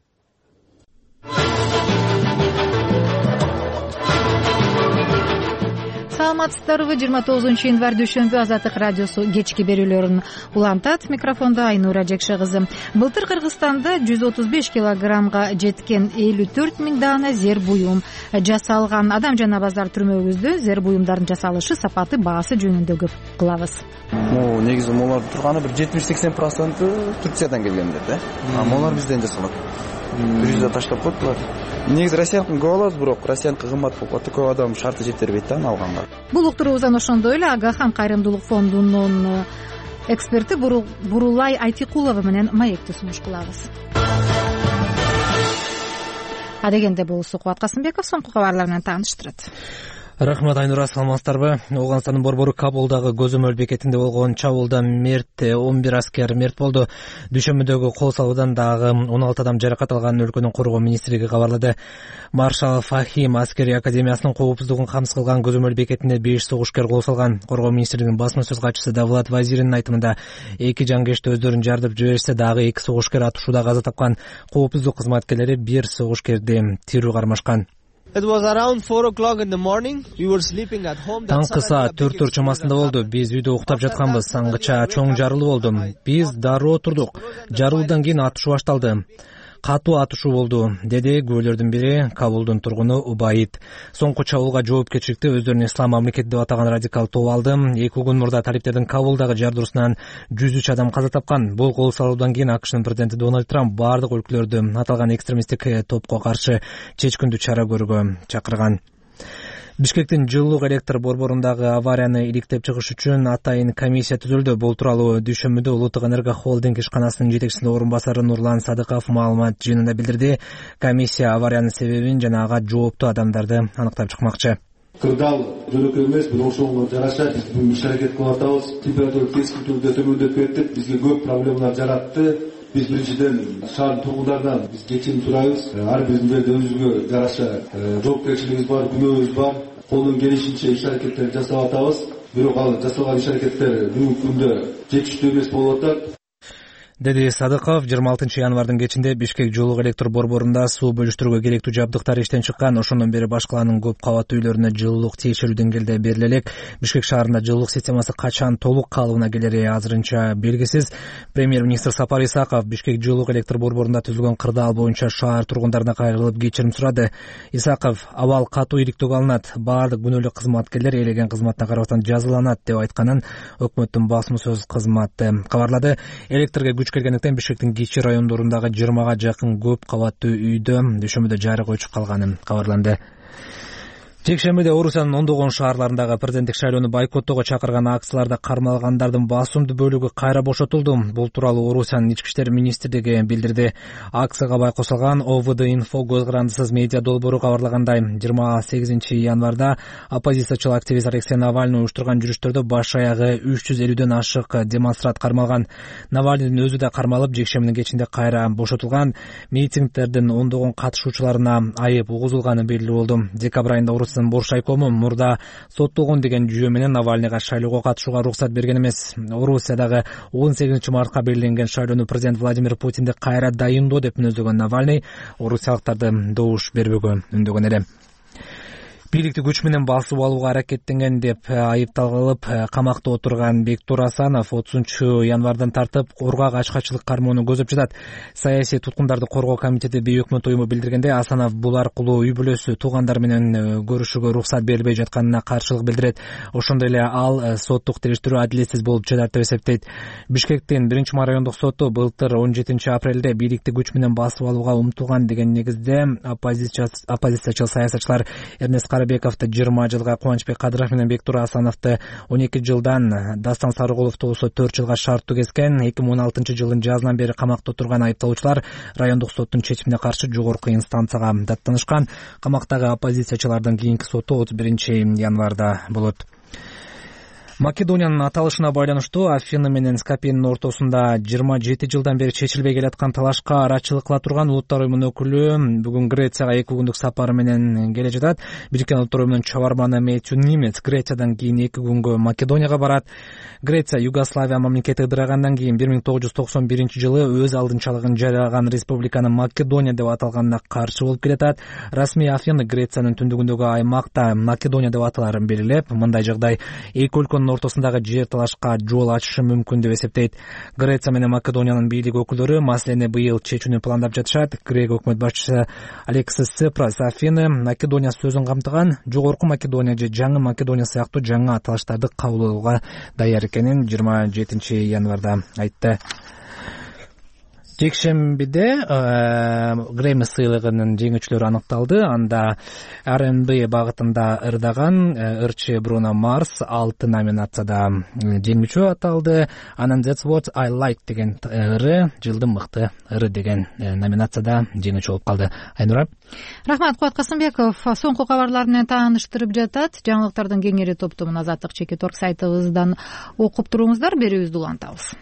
Саламатсыздарбы? 29-январь дүйшөмбү Азаттык радиосу кечки берүүлөрүн улантат. Микрофондо Айнура Жекше кызы. Былтыр Кыргызстанда 135 килограммга жеткен 54 000 даана зер буюм жасалган. Адам жана базар түрмөгүздө зер буюмдардын жасалышы, сапаты, баасы жөнүндө көп кылабыз. Негизи молардын турганы бир 70-80% Турциядан келгендер да. Молар бизден жасалат. Бирүздө таштап коет булар. Негизи Россияныкын көп алабыз, бирок Россияныкы кымбат болуп калат, көп адам шарты жетербейт да алганга. Бул уктуруубуздан ошондой эле Агахан кайрымдуулук фондунун эксперти Бурулай Айтикулова менен маекти сунуш кылабыз. Адегенде бул Сукубат Касымбеков соңку кабарлар менен тааныштырат. Рахмат, Айнура, саламатсыздарбы? Ооганстандын борбору Кабулдагы көзөмөл бекетинде болгон чабуулда 11 аскер мерт болду. Дүйшөмбүдөгү кол салуудан дагы 16 адам жаракат алганын өлкөнүн коргоо министрлиги кабарлады. Маршал Фахим аскери академиясынын коопсуздугун камсыз кылган көзөмөл бекетине 5 согушкер кол салган. Коргоо министрлигинин басма сөз катчысы Давлат Вазиринин айтымында 2 жангечти өздөрүн жардып жиберишсе, дагы 2 согушкер атышууда каза тапкан. Коопсуздук кызматкерлери 1 согушкерди тирүү кармашкан. Таңкы саат 4 чамасында болду. Биз үйдө уктап жатканбыз. Аңгыча чоң жарылуу болду. Биз дароо турдук. Жарылуудан кийин атышуу башталды. Катуу атышуу болду, деди күбөлөрдүн бири, Кабулдун тургуну Убайит. Соңку чабуулга жоопкерчиликти өздөрүн ислам мамлекети деп атаган радикал топ алды. 2 күн мурда талиптердин Кабулдагы жардыруусунан 103 адам каза тапкан. Бул кол салуудан кийин АКШнын президенти Дональд Трамп бардык өлкөлөрдү аталган экстремисттик топко каршы чечкиндүү чара көрүүгө чакырган. Бишкектин жылуулук электр борборундагы аварияны иликтеп чыгыш үчүн атайын комиссия түзүлдү. Бул тууралуу дүйшөмбүдө Улуттук энерго холдинг ишканасынын жетекчисинин орун басары Нурлан Садыков маалымат жыйынында билдирди. Комиссия авариянын себебин жана ага жооптуу адамдарды аныктап чыкмакчы. Кырдаал жөнөкөй эмес, бирок ошого жараша биз буга иш-аракет кылып атабыз. Температура кескин түрдө төмөндөп кетти, бизге көп проблемалар жаратты. Биз биринчиден шаардын тургундарынан биз кечирим сурайбыз. Ар биздин жерде өзүбүзгө жараша жоопкерчилигибиз бар, күнөөбүз бар. Колдон келишинче иш-аракеттерди жасап атабыз. Бирок ал жасалган иш-аракеттер бүгүнкү күндө жетиштүү эмес болуп атат, деди Садыков. 26 январдын кечинде Бишкек жылуулук электр борборунда суу бөлүштүрүүгө керектүү жабдыктар иштен чыккан. Ошондон бери баш калаанын көп кабаттуу үйлөрүнө жылуулук тиешелүү деңгээлде бериле элек. Бишкек шаарында жылуулук системасы качан толук калыбына келери азырынча белгисиз. Премьер-министр Сапар Исаков Бишкек жылуулук электр борборунда түзүлгөн кырдаал боюнча шаар тургундарына кайрылып кечирим сурады. Исаков абал катуу иликтөөгө алынат, баардык күнөөлүү кызматкерлер элеген кызматына карабастан жазаланат деп айтканын өкмөттүн басма сөз кызматы кабарлады. Электрге келгендиктен Бишкектин кичи райондорундагы 20га жакын көп кабаттуу үйдө дүйшөмбүдө жарык өчүп калганы кабарланды. Жекшембиде Орусиянын ондогон шаарларындагы президенттик шайлоону бойкоттоого чакырган акцияларда кармалгандардын басымдуу бөлүгү кайра бошотулду. Бул тууралуу Орусиянын ички иштер министрлиги билдирди. Акцияга байкосулган ОВД Инфо көз карандысыз медиа долбоору кабарлагандай, 28 январда оппозициячыл активист Алексей Навальный уюштурган жүрүштөрдө баш аягы 350дөн ашык демонстрант кармалган. Навальныйдын өзү да кармалып, жекшембинин кечинде кайра бошотулган. Митингдердин ондогон катышуучуларына айып угузулганы белгилүү болду. Декабрь айында Орусиянын Бош айкому мурда соттолгон деген жүйө менен Навальныйга шайлоого катышууга уруксат берген эмес. Орусиядагы 18 мартка белгиленген шайлоону президент Владимир Путинди кайра дайындоо деп мүнөздөгөн Навальный орусиялыктарды добуш бербөөгө үндөгөн эле. Бийликти күч менен басып алууга аракеттенген деп айыпталып камакта отурган Бектур Асанов 30 январдан тартып кургак ачкачылык кармоону көзөп жатат. Саясий туткундарды коргоо комитети бейөкмөт уюму билдиргенде, Асанов бул аркылуу үй бүлөсү, туугандар менен көрүшүүгө уруксат берилбей жатканына каршылык билдирет. Ошондой эле ал соттук териштирүү адилетсиз болуп жатат деп эсептейт. Бишкектин 1 райондук соту былтыр 17 апрелде бийликти күч менен басып алууга умтулган деген негизде оппозициячыл саясатчылар Эрнест Карабековду 20 жылга, Кубанычбек Кадыров менен Бектур Асановду 12 жылдан, Дастан Сарыгуловду болсо 4 жылга шарттуу kesкен. 2016 жылдын жазынан бери камакта отурган айыпталуучулар райондук соттун чечимине каршы жогорку инстанцияга даттанышкан. Камактагы оппозициячылардын кийинки соту 31 январда болот. Македониянын аталышына байланыштуу Афины менен Скопьенин ортосунда 27 жылдан бери чечилбей келаткан талашка арачылык кыла турган Улуттар уюмунун өкүлү бүгүн Грецияга 2 күндүк сапары менен келе жатат. Бириккен Улуттар уюмунун чабарманы Мэтью Нимец Грециядан кийин 2 күнгө Македонияга барат. Греция Югославия мамлекети ыдырагандан кийин 1991 жылы өз алдынчалыгын жарыялаган республиканын Македония деп аталганына каршы болуп келатат. Расмий Афины Грециянын түндүгүндөгү аймакта Македония деп аталарын белгилеп, мындай жагдай эки өлкөнүн ортосундагы жер талашка жол ачышы мүмкүн деп эсептейт. Греция менен Македониянын бийлик өкүлдөрү маселени быйыл чечүүнү пландап жатышат. Грек өкмөт башчысы Алексис Ципрас Афины Македония сөзүн камтыган, жогорку Македония же жаңы Македония сыяктуу жаңы аталыштарды кабыл алууга даяр экенин 27 январда айтты. Жекшембиде Грэмми сыйлыгынын жеңүүчүлөрү аныкталды. Анда R&B багытында ырдаган ырчы Бруно Марс 6 номинацияда жеңүүчү аталды. Анан That's What I Like деген ыры, жылдын мыкты ыры деген номинацияда жеңүүчү болуп калды. Айнура. Рахмат, Кубат Касымбеков соңку кабарлар менен тааныштырып жатат. Жаңылыктардын кеңири топтомун Азаттык Чекит.org сайтыбыздан окуп туруңуздар. Берүүбүздү улантабыз.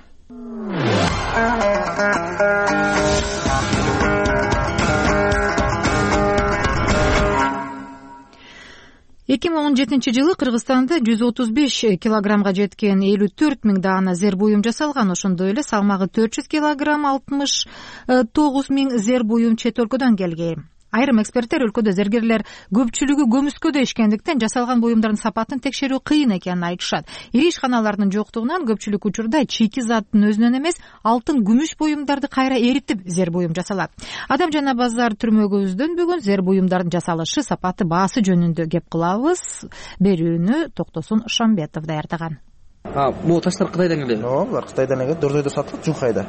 2017 жылы Кыргызстанда 135 килограммга жеткен 54 миң даана зер буюм жасалган. Ошондой эле салмагы 400 килограмм 69 миң зер буюм чет өлкөдөн келген. Айрым эксперттер өлкөдө зергерлер көпчүлүгү көмүскөдө ишкендиктен жасалган буюмдардын сапатын текшерүү кыйын экенин айтышат. Ири ишканалардын жоктугунан көпчүлүк учурда чийки заттын өзүнөн эмес, алтын, күмүш буюмдарды кайра эритип зер буюм жасалат. Адам жана базар түрмөгүбүздөн бүгүн зер буюмдардын жасалышы, сапаты, баасы жөнүндө кеп кылабыз. Берүүнү Токтосун Шамбетов даярдаган. Могу таштар Кытайдан келет? Булар Кытайдан келет, Дордойдо сатылат, Жунхайда.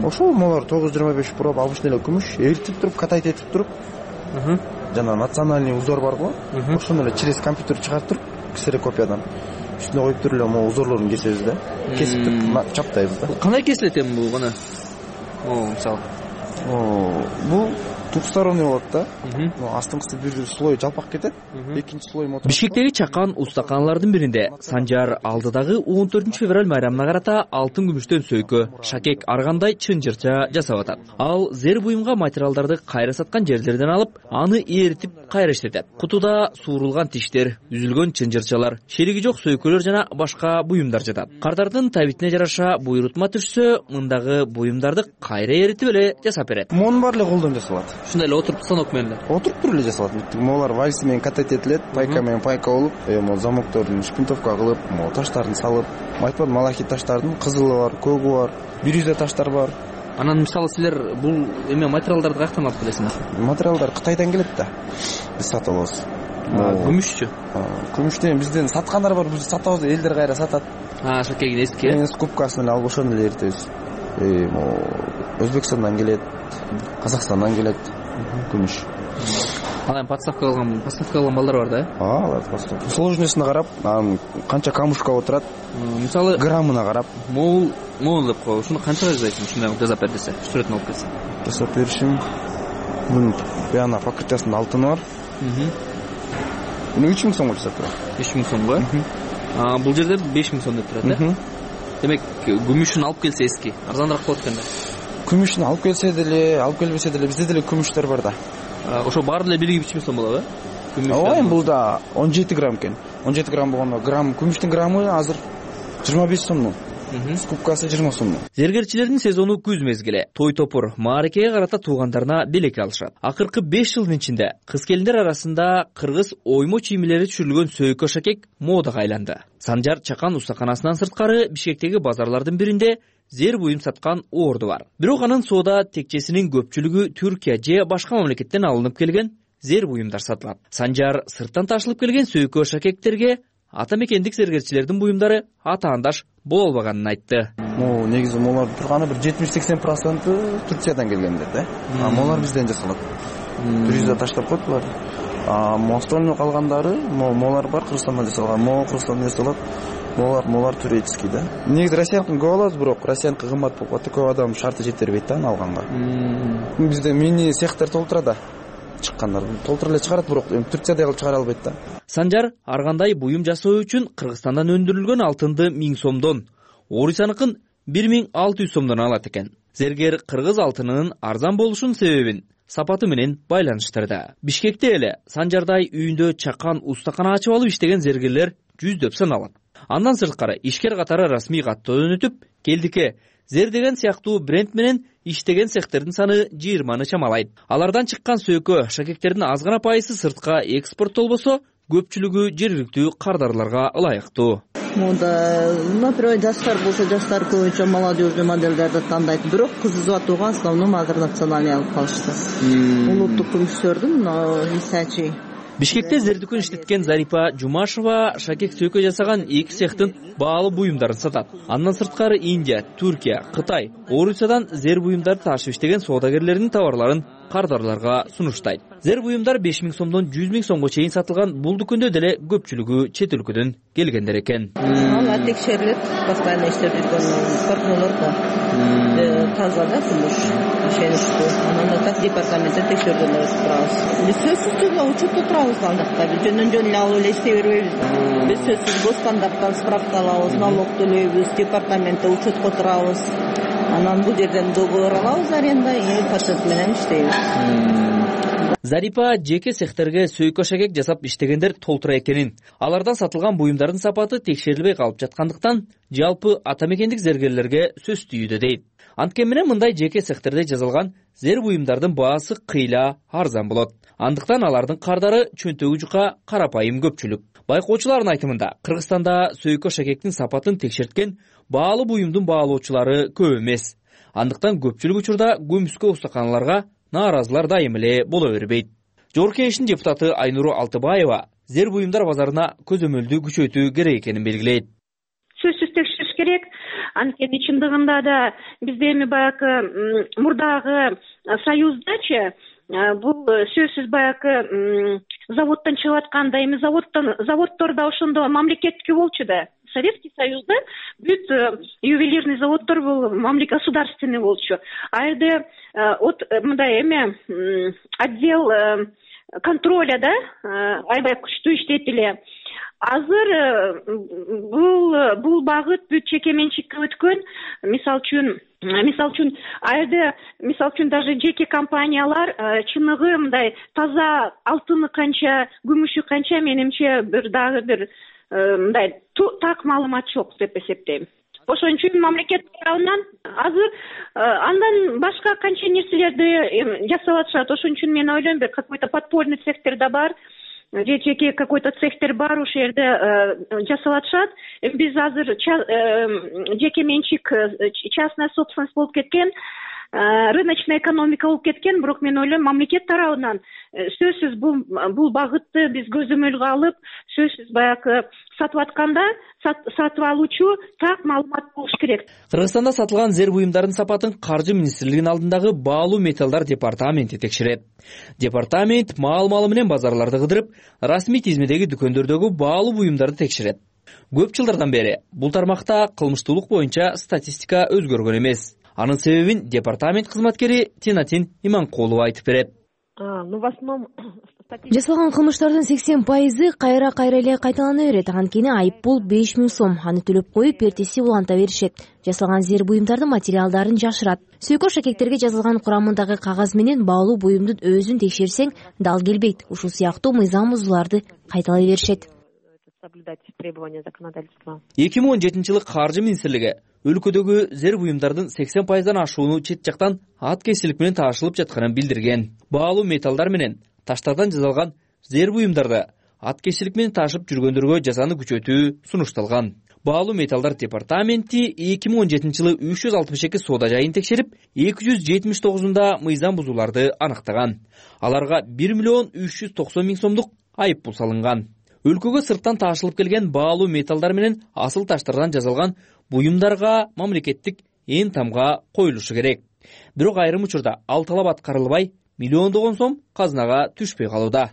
Ошол молар 925 проб, 60 эле күмүш, эритип туруп, катайт этип туруп. Жана национальный узор бар го. Ошону эле через компьютер чыгарып туруп, ксерокопиядан үстүнө коюп туруп эле могу узорлорун кесебиз да. Кесип туруп чаптайбыз да. Кандай кесилет эми бул гана? Мисалы. Бул двухсторонний болот да. Астыңкысы бир слой жалпак кетет, экинчи слой мотор. Бишкектеги чакан устаканалардын биринде Санжар алдыдагы 14 февраль майрамына карата алтын күмүштөн сөйкө, шакек аргандай чынжырча жасап атат. Ал зер буюмга материалдарды кайра саткан жерлерден алып, аны эритип кайра иштетет. Кутуда суурулган тиштер, үзүлгөн чынжырчалар, шериги жок сөйкөлөр жана башка буюмдар жатат. Кардардын табитине жараша буйрутма түшсө, мындагы буюмдарды кайра эритип эле жасап берет. Мон бар эле колдон жасалат. Ушундай эле отуруп станок менен отуруп туруп эле жасалат. Молар вальс менен катать этилет, пайка менен пайка болуп, могу замоктордун шпинтовка кылып, могу таштарын салып, айтпадым, малахит таштардын кызылы бар, көгү бар, бирюза таштар бар. Анан мисалы силер бул эме материалдарды каяктан алып келесиңер? Материалдар Кытайдан келет да. Биз сатып алабыз. Күмүшчү? Күмүштөн бизден саткандар бар, биз сатабыз, элдер кайра сатат. Шакегин эски. Скупкасын эле алып ошону эле эритебиз. Өзбекстандан келет, Казакстандан келет күмүш. анан поставка кылган балдар бар да? Алар поставка. Сложностуна карап, анан канча камушка отурат, мисалы граммына карап. Могул деп кой. Ушуну канчага жасайсың? Ушундай жасап бер десе, сүрөтүн алып келсе. Жасап беришим. Бунун баягы покрытиясынын алтыны бар. Муну 3000 сомго жасап турат. 3000 сомго? Бул жерде 5000 сом деп турат, да? Демек, күмүшүн алып келсе эски, арзаныраак болот экен да. Күмүшүн алып келсе деле, алып келбесе деле бизде деле күмүштөр бар да. Ошо баары деле бириги 3000 сом болобу, э? Ооба, бул да 17 грамм экен. 17 грамм болгондо күмүштүн граммы азыр 25 сомдон. Скупкасы 20 сомдон. Зергерчилердин сезону күз мезгили. Той топур мааракеге карата туугандарына белек алышат. Акыркы 5 жылдын ичинде кыз келиндер арасында кыргыз оймо чийимлери түшүрүлгөн сөйкө шакек модага айланды. Санжар Чакан устаканасынан сырткары Бишкектеги базарлардын биринде зер буюм саткан орду бар. Бирок анын соода текчесинин көпчүлүгү Түркия же башка мамлекеттен алынып келген зер буюмдар сатылат. Санжар сырттан ташылып келген сөйкө шакектерге ата мекендик зергерчилердин буюмдары атаандаш боло албаганын айтты. Негизи молар турганы бир 70-80% Турциядан келгендер да. Молар бизден жасалат. Түркияда таштап койт булар. Остальный калгандары молар бар, Кыргызстандан жасалган. Кыргызстандан жасалат. Молар турецкий да. Негизи россиянкын көп алабыз, бирок россиянкы кымбат болуп калат. Көп адам шарты жетербейт да аны алганга. Бизде мини цехтер толтурат да. Чыккандар толтур эле чыгарат, бирок Турциядай кылып чыгара албайт да. Санжар ар кандай буюм жасоо үчүн Кыргызстандан өндүрүлгөн алтынды 1000 сомдон, Орусияныкын 1600 сомдон алат экен. Зергер кыргыз алтынынын арзан болушунун себебин сапаты менен байланыштырды. Бишкекте эле Санжардай үйүндө чакан устакана ачып алып иштеген зергерлер жүздөп саналат. Андан сырткары ишкер катары расмий каттоодон өтүп, келдикке зер деген сыяктуу бренд менен иштеген цехтердин саны 20-ны чамалайт. Алардан чыккан сөйкө шакектердин аз гана пайызы сыртка экспорттолбосо, көпчүлүгү жергиликтүү кардарларга ылайыктуу. Мында, например, жаштар болсо, жаштар көбүнчө молодежный модельдерди тандайт. Бирок кыз сатууга основном азыр национальный алып калышты. Улуттук күмүштөрдүн мисачи. Бишкекте зердүкөн иштеткен Зарипа Жумашева шакек сөйкө жасаган 2 цехтин баалуу буюмдарын сатат. Андан сырткары Индия, Түркия, Кытай, Орусиядан зер буюмдарды ташып иштеген соодагерлердин товарларын кардарларга сунуштайт. Зер буюмдар 5000 сомдон 100 000 сомго чейин сатылган. Бул дүкөндө деле көпчүлүгү чет өлкөдөн келгендер экен. Алар текшерилет, постоянно иштеп жүргөн партнерлер бар. Таза да кумуш, ишеничтүү. Анан так департаментте текшергөндөрдү турабыз. Биз сөзсүз түрдө учетто турабыз алдакта. Биз жөндөн эле алып эле иштей бербейбиз. Биз сөзсүз госстандарттан справка алабыз, налог төлөйбүз, департаментте учетко турабыз. Анан бул жерден договор алабыз аренда, пациент менен иштейбиз. Зарипа жеке цехтерге сөйкө шакек жасап иштегендер толтура экенин, алардан сатылган буюмдардын сапаты текшерилбей калып жаткандыктан, жалпы ата мекендик зергерлерге сөз түйүүдө дейт. Анткени менен мындай жеке цехтерде жасалган зер буюмдардын баасы кыйла арзан болот. Андыктан алардын кардары чөнтөгү жука карапайым көпчүлүк. Байкоочулардын айтымында, Кыргызстанда сөйкө шакектин сапатын текшерткен баалуу буюмдун баалоочулары көп эмес. Андыктан көпчүлүк учурда көмүскө устаканаларга нааразылар дайым эле боло бербейт. Жогорку Кеңештин депутаты Айнуру Алтыбаева зер буюмдар базарына көзөмөлдү күчөйтүү керек экенин белгилейт. Сөзсүз текшериш керек. Анткени чындыгында да бизде эми баягы мурдагы союздачы бул сөзсүз баягы заводдон чыгып атканда эми заводдор да ошондо мамлекеттики болчу да. Советский Союзда бүт ювелирный заводдор бул государственный болчу. А жерде от мындай эме отдел контроля да аябай күчтүү иштейт эле. Азыр бул багыт бүт чеке менчикке өткөн. Мисалы үчүн мисалы үчүн даже жеке компаниялар чыныгы мындай таза алтыны канча, күмүшү канча менимче дагы бир мындай так маалымат жок деп эсептейм. Ошон үчүн мамлекет тарабынан азыр андан башка канча нерселерди жасап атышат. Ошон үчүн мен ойлойм, бир какой-то подпольный цехтер да бар. Жеке какой-то цехтер бар, ошол жерде жасап атышат. Биз азыр жеке менчик, частная собственность болуп кеткен. рыночный экономика болуп кеткен. Бирок мен ойлойм, мамлекет тарабынан сөзсүз бул багытты биз көзөмөлгө алып, сөзсүз баягы сатып атканда сатып алуучу так маалымат болуш керек. Кыргызстанда сатылган зер буюмдардын сапатын Каржы министрлигинин алдындагы баалуу металлдар департаменти текшерет. Департамент маал-маалы менен базарларды кыдырып, расмий тизмедеги дүкөндөрдөгү баалуу буюмдарды текшерет. Көп жылдардан бери бул тармакта кылмыштуулук боюнча статистика өзгөргөн эмес. Анын себебин департамент кызматкери Тинатин Иманкулова айтып берет. В основном жасалган кылмыштардын 80% кайра эле кайталана берет. Анткени айыппул 5000 сом. Аны төлөп коюп, эртеси уланта беришет. Жасалган зер буюмдардын материалдарын жашырат. Сүйкөш шакектерге жазылган курамындагы кагаз менен баалуу буюмдун өзүн текшерсең дал келбейт. Ушул сыяктуу мыйзам бузууларды кайталай беришет. 2017 жылы Каржы министрлиги өлкөдөгү зер буюмдардын 80%дан ашууну чет жактан аткезчилик менен таашылып жатканын билдирген. Баалуу металлдар менен таштардан жасалган зер буюмдарды аткезчилик менен таашып жүргөндөргө жазаны күчөтүү сунушталган. Баалуу металлдар департаменти 2017 жылы 362 соода жайын текшерип, 279-унда мыйзам бузууларды аныктаган. Аларга 1 миллион 390 миң сомдук айыппул салынган. Өлкөгө сырттан таашылып келген баалуу металлдар менен асыл таштардан жасалган буюмдарга мамлекеттик ээн тамга коюлушу керек. Бирок айрым учурда ал талап аткарылбай, миллиондогон сом казынага түшпөй калууда.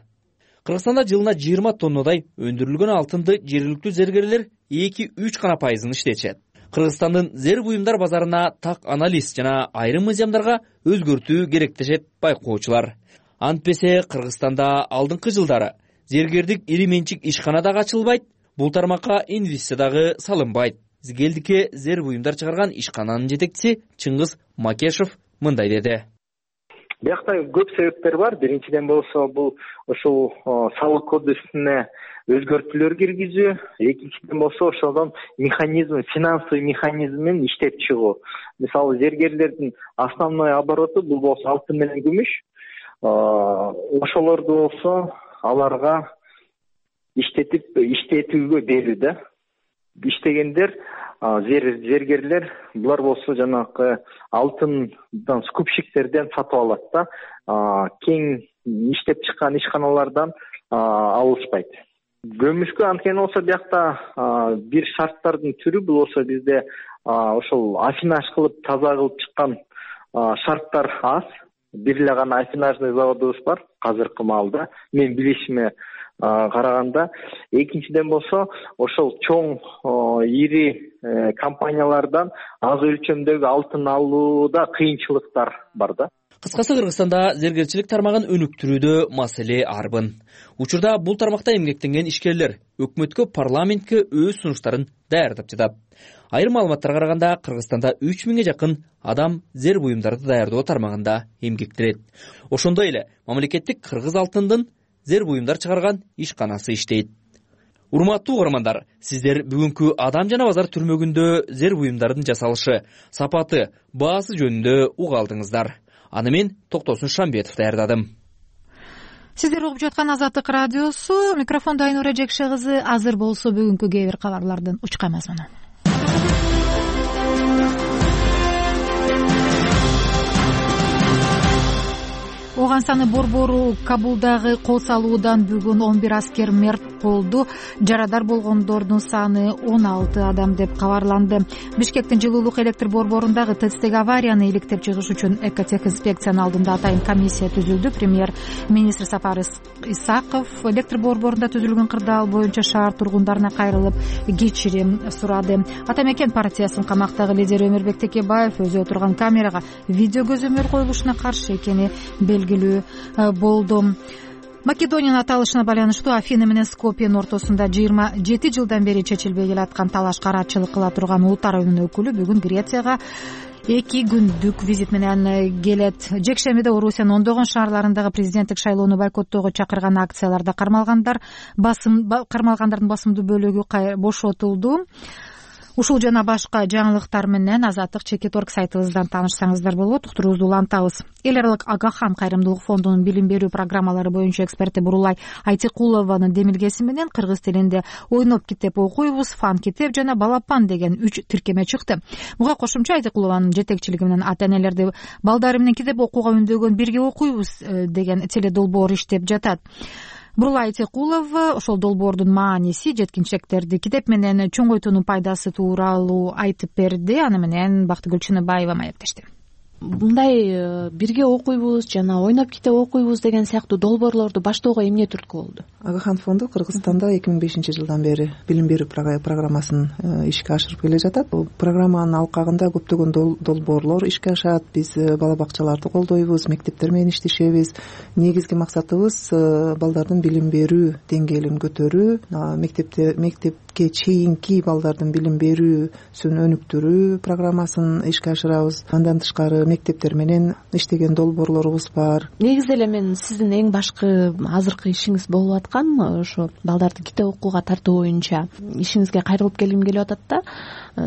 Кыргызстанда жылына 20 тоннадай өндүрүлгөн алтынды жергиликтүү зергерлер 2-3 гана пайызын иштечет. Кыргызстандын зер буюмдар базарына так анализ жана айрым мыйзамдарга өзгөртүү керектешет байкоочулар. Антпесе Кыргызстанда алдыңкы жылдары зергердик ири менчик ишкана дагы ачылбайт, бул тармакка инвестиция дагы салынбайт. Згелдикке зер буюмдар чыгарган ишкананын жетекчиси Чыңгыз Макешев мындай деди. Биякта көп себептер бар. Биринчиден болсо бул ушул салык кодексине өзгөртүүлөр киргизүү, экинчиден болсо ошодон механизм, финансовый механизм менен иштеп чыгуу. Мисалы зергерлердин основной обороту бул болсо алтын менен күмүш. Ошолорду болсо аларга иштетүүгө берүү да. Иштегендер зергерлер булар болсо жанагы алтындан скупщиктерден сатып алат да. Кең иштеп чыккан ишканалардан алышпайт. Көмүшкө анткени болсо биякта бир шарттардын түрү бул болсо бизде ошол афинаж кылып таза кылып чыккан шарттар аз. Бир эле гана афинажный заводубуз бар азыркы маалда. Мен билишиме караганда. Экинчиден болсо ошол чоң ири компаниялардан аз өлчөмдөгү алтын алууда кыйынчылыктар бар да. Кыскасы Кыргызстанда зергерчилик тармагын өнүктүрүүдө маселе арбын. Учурда бул тармакта эмгектенген ишкерлер өкмөткө, парламентке өз сунуштарын даярдап жатат. Айрым маалыматтарга караганда Кыргызстанда 3000ге жакын адам зер буюмдарды даярдоо тармагында эмгектенет. Ошондой эле мамлекеттик кыргыз алтындын зер буюмдар чыгарган ишканасы иштейт. Урматтуу угармандар, сиздер бүгүнкү Адам жана базар түрмөгүндө зер буюмдардын жасалышы, сапаты, баасы жөнүндө уга алдыңыздар. Аны мен Токтосун Шамбетов даярдадым. Сиздер угуп жаткан Азаттык радиосу, микрофондо Айнура Жекше кызы. Азыр болсо бүгүнкү кээ бир кабарлардын учка мазмуну. Оғансаны борбору Кабулдагы кол салуудан бүгүн 11 аскер мерт болду. Жарадар болгондордун саны 16 адам деп кабарланды. Бишкектин жылуулук электр борборундагы ТЭЦтеги аварияны иликтеп чыгыш үчүн экотехинспекциянын алдында атайын комиссия түзүлдү. Премьер-министр Сапар Исаков электр борборунда түзүлгөн кырдаал боюнча шаар тургундарына кайрылып кечирим сурады. Ата Мекен партиясынын камактагы лидери Өмүрбек Текебаев өзү отурган камерага видео көзөмөл коюлушуна каршы экени белгилүү болду. Македониянын аталышына байланыштуу Афина менен Скопьенин ортосунда 27 жылдан бери чечилбей келаткан талаш караатчылык кыла турган улуттар оюнунун өкүлү бүгүн Грецияга 2 күндүк визит менен келет. Жекшембиде Орусиянын ондогон шаарларындагы президенттик шайлоону бойкоттоого чакырган акцияларда кармалгандардын басымдуу бөлүгү бошотулду. Ушул жана башка жаңылыктар менен Азаттык Чекит.org сайтыбыздан таанышсаңыздар болот. Уктуруубузду улантабыз. Эл аралык Агахан кайрымдуулук фондунун билим берүү программалары боюнча эксперти Бурулай Айтикулованын демилгеси менен кыргыз тилинде ойноп китеп окуйбуз, фан китеп жана балапан деген 3 тиркеме чыкты. Буга кошумча Айтикулованын жетекчилиги менен ата-энелерди балдары менен китеп окууга үндөгөн «Бирге окуйбуз» деген теледолбоор иштеп жатат. Бурулай Айтикулова ошол долбоордун мааниси, жеткинчектерди китеп менен чоңойтуунун пайдасы тууралуу айтып берди. Аны менен Бактыгүл Чыныбаева маектешти. Мындай «Бирге окуйбуз» жана «Ойноп китеп окуйбуз» деген сыяктуу долбоорлорду баштоого эмне түрткү болду? Агахан фонду Кыргызстанда 2005-жылдан бери билим берүү программасын ишке ашырып келе жатат. Бул программанын алкагында көптөгөн долбоорлор ишке ашат. Биз бала бакчаларды колдойбуз, мектептер менен иштешебиз. Негизги максатыбыз балдардын билим берүү деңгээлин көтөрүү, мектепке чейинки балдардын билим берүүсүн өнүктүрүү программасын ишке ашырабыз. Андан тышкары мектептер менен иштеген долбоорлорубуз бар. Негизи эле мен сиздин эң башкы азыркы ишиңиз болуп аткан ошо балдарды китеп окууга тартуу боюнча ишиңизге кайрылып келгим келип атат да.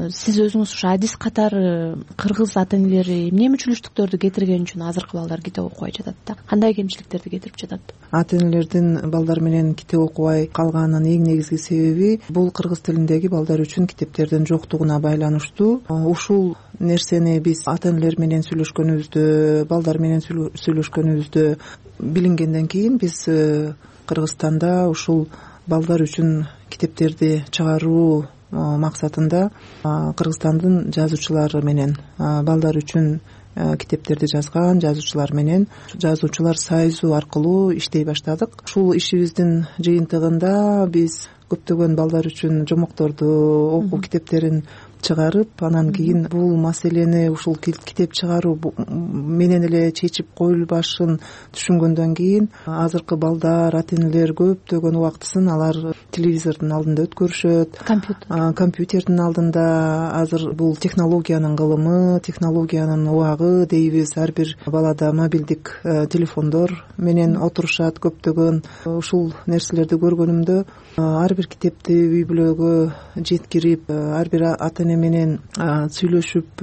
Сиз өзүңүз ушу адис катары кыргыз ата-энелери эмне мүчүлүштүктөрдү кетирген үчүн азыркы балдар китеп окубай жатат да? Кандай кемчиликтерди кетирип жатат? Ата-энелердин балдар менен китеп окубай калганынын эң негизги себеби бул кыргыз тилиндеги балдар үчүн китептердин жоктугуна байланыштуу. Ушул нерсени биз ата-энелер менен сүйлөшкөнүбүздө, балдар менен сүйлөшкөнүбүздө билингенден кийин биз Кыргызстанда ушул балдар үчүн китептерди чыгаруу максатында Кыргызстандын жазуучулары менен балдар үчүн китептерди жазган жазуучулар менен жазуучулар союзу аркылуу иштей баштадык. Ушул ишибиздин жыйынтыгында биз көптөгөн балдар үчүн жомокторду, окуу китептерин чыгарып, анан кийин бул маселени ушул китеп чыгаруу менен эле чечип коюлбашын түшүнгөндөн кийин азыркы балдар, ата-энелер көптөгөн убактысын алар телевизордун алдында өткөрүшөт, компьютердин алдында. Азыр бул технологиянын кылымы, технологиянын убагы дейбиз. Ар бир балада мобилдик телефондор менен отурушат көптөгөн. Ушул нерселерди көргөнүмдө ар бир китепти үй бүлөгө жеткирип, ар бир ата-эне менен сүйлөшүп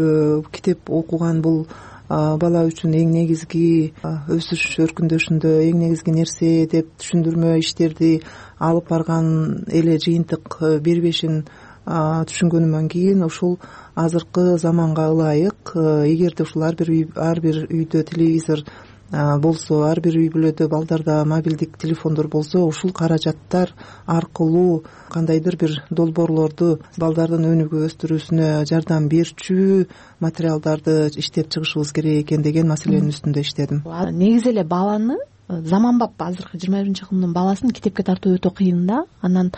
китеп окуган бул бала үчүн эң негизги өсүш өркүндөшүндө эң негизги нерсе деп түшүндүрмө иштерди алып барган эле жыйынтык бербешин түшүнгөнүмөн кийин ушул азыркы заманга ылайык, эгерде ушул ар бир үйдө телевизор болсо, ар бир үй бүлөдө балдарда мобилдик телефондор болсо, ушул каражаттар аркылуу кандайдыр бир долбоорлорду балдардын өнүгүү өстүрүүсүнө жардам берчү материалдарды иштеп чыгышыбыз керек экен деген маселенин үстүндө иштедим. Негизи эле баланы заманбап азыркы 21-кылымдын баласын китепке тартуу өтө кыйын да. Анан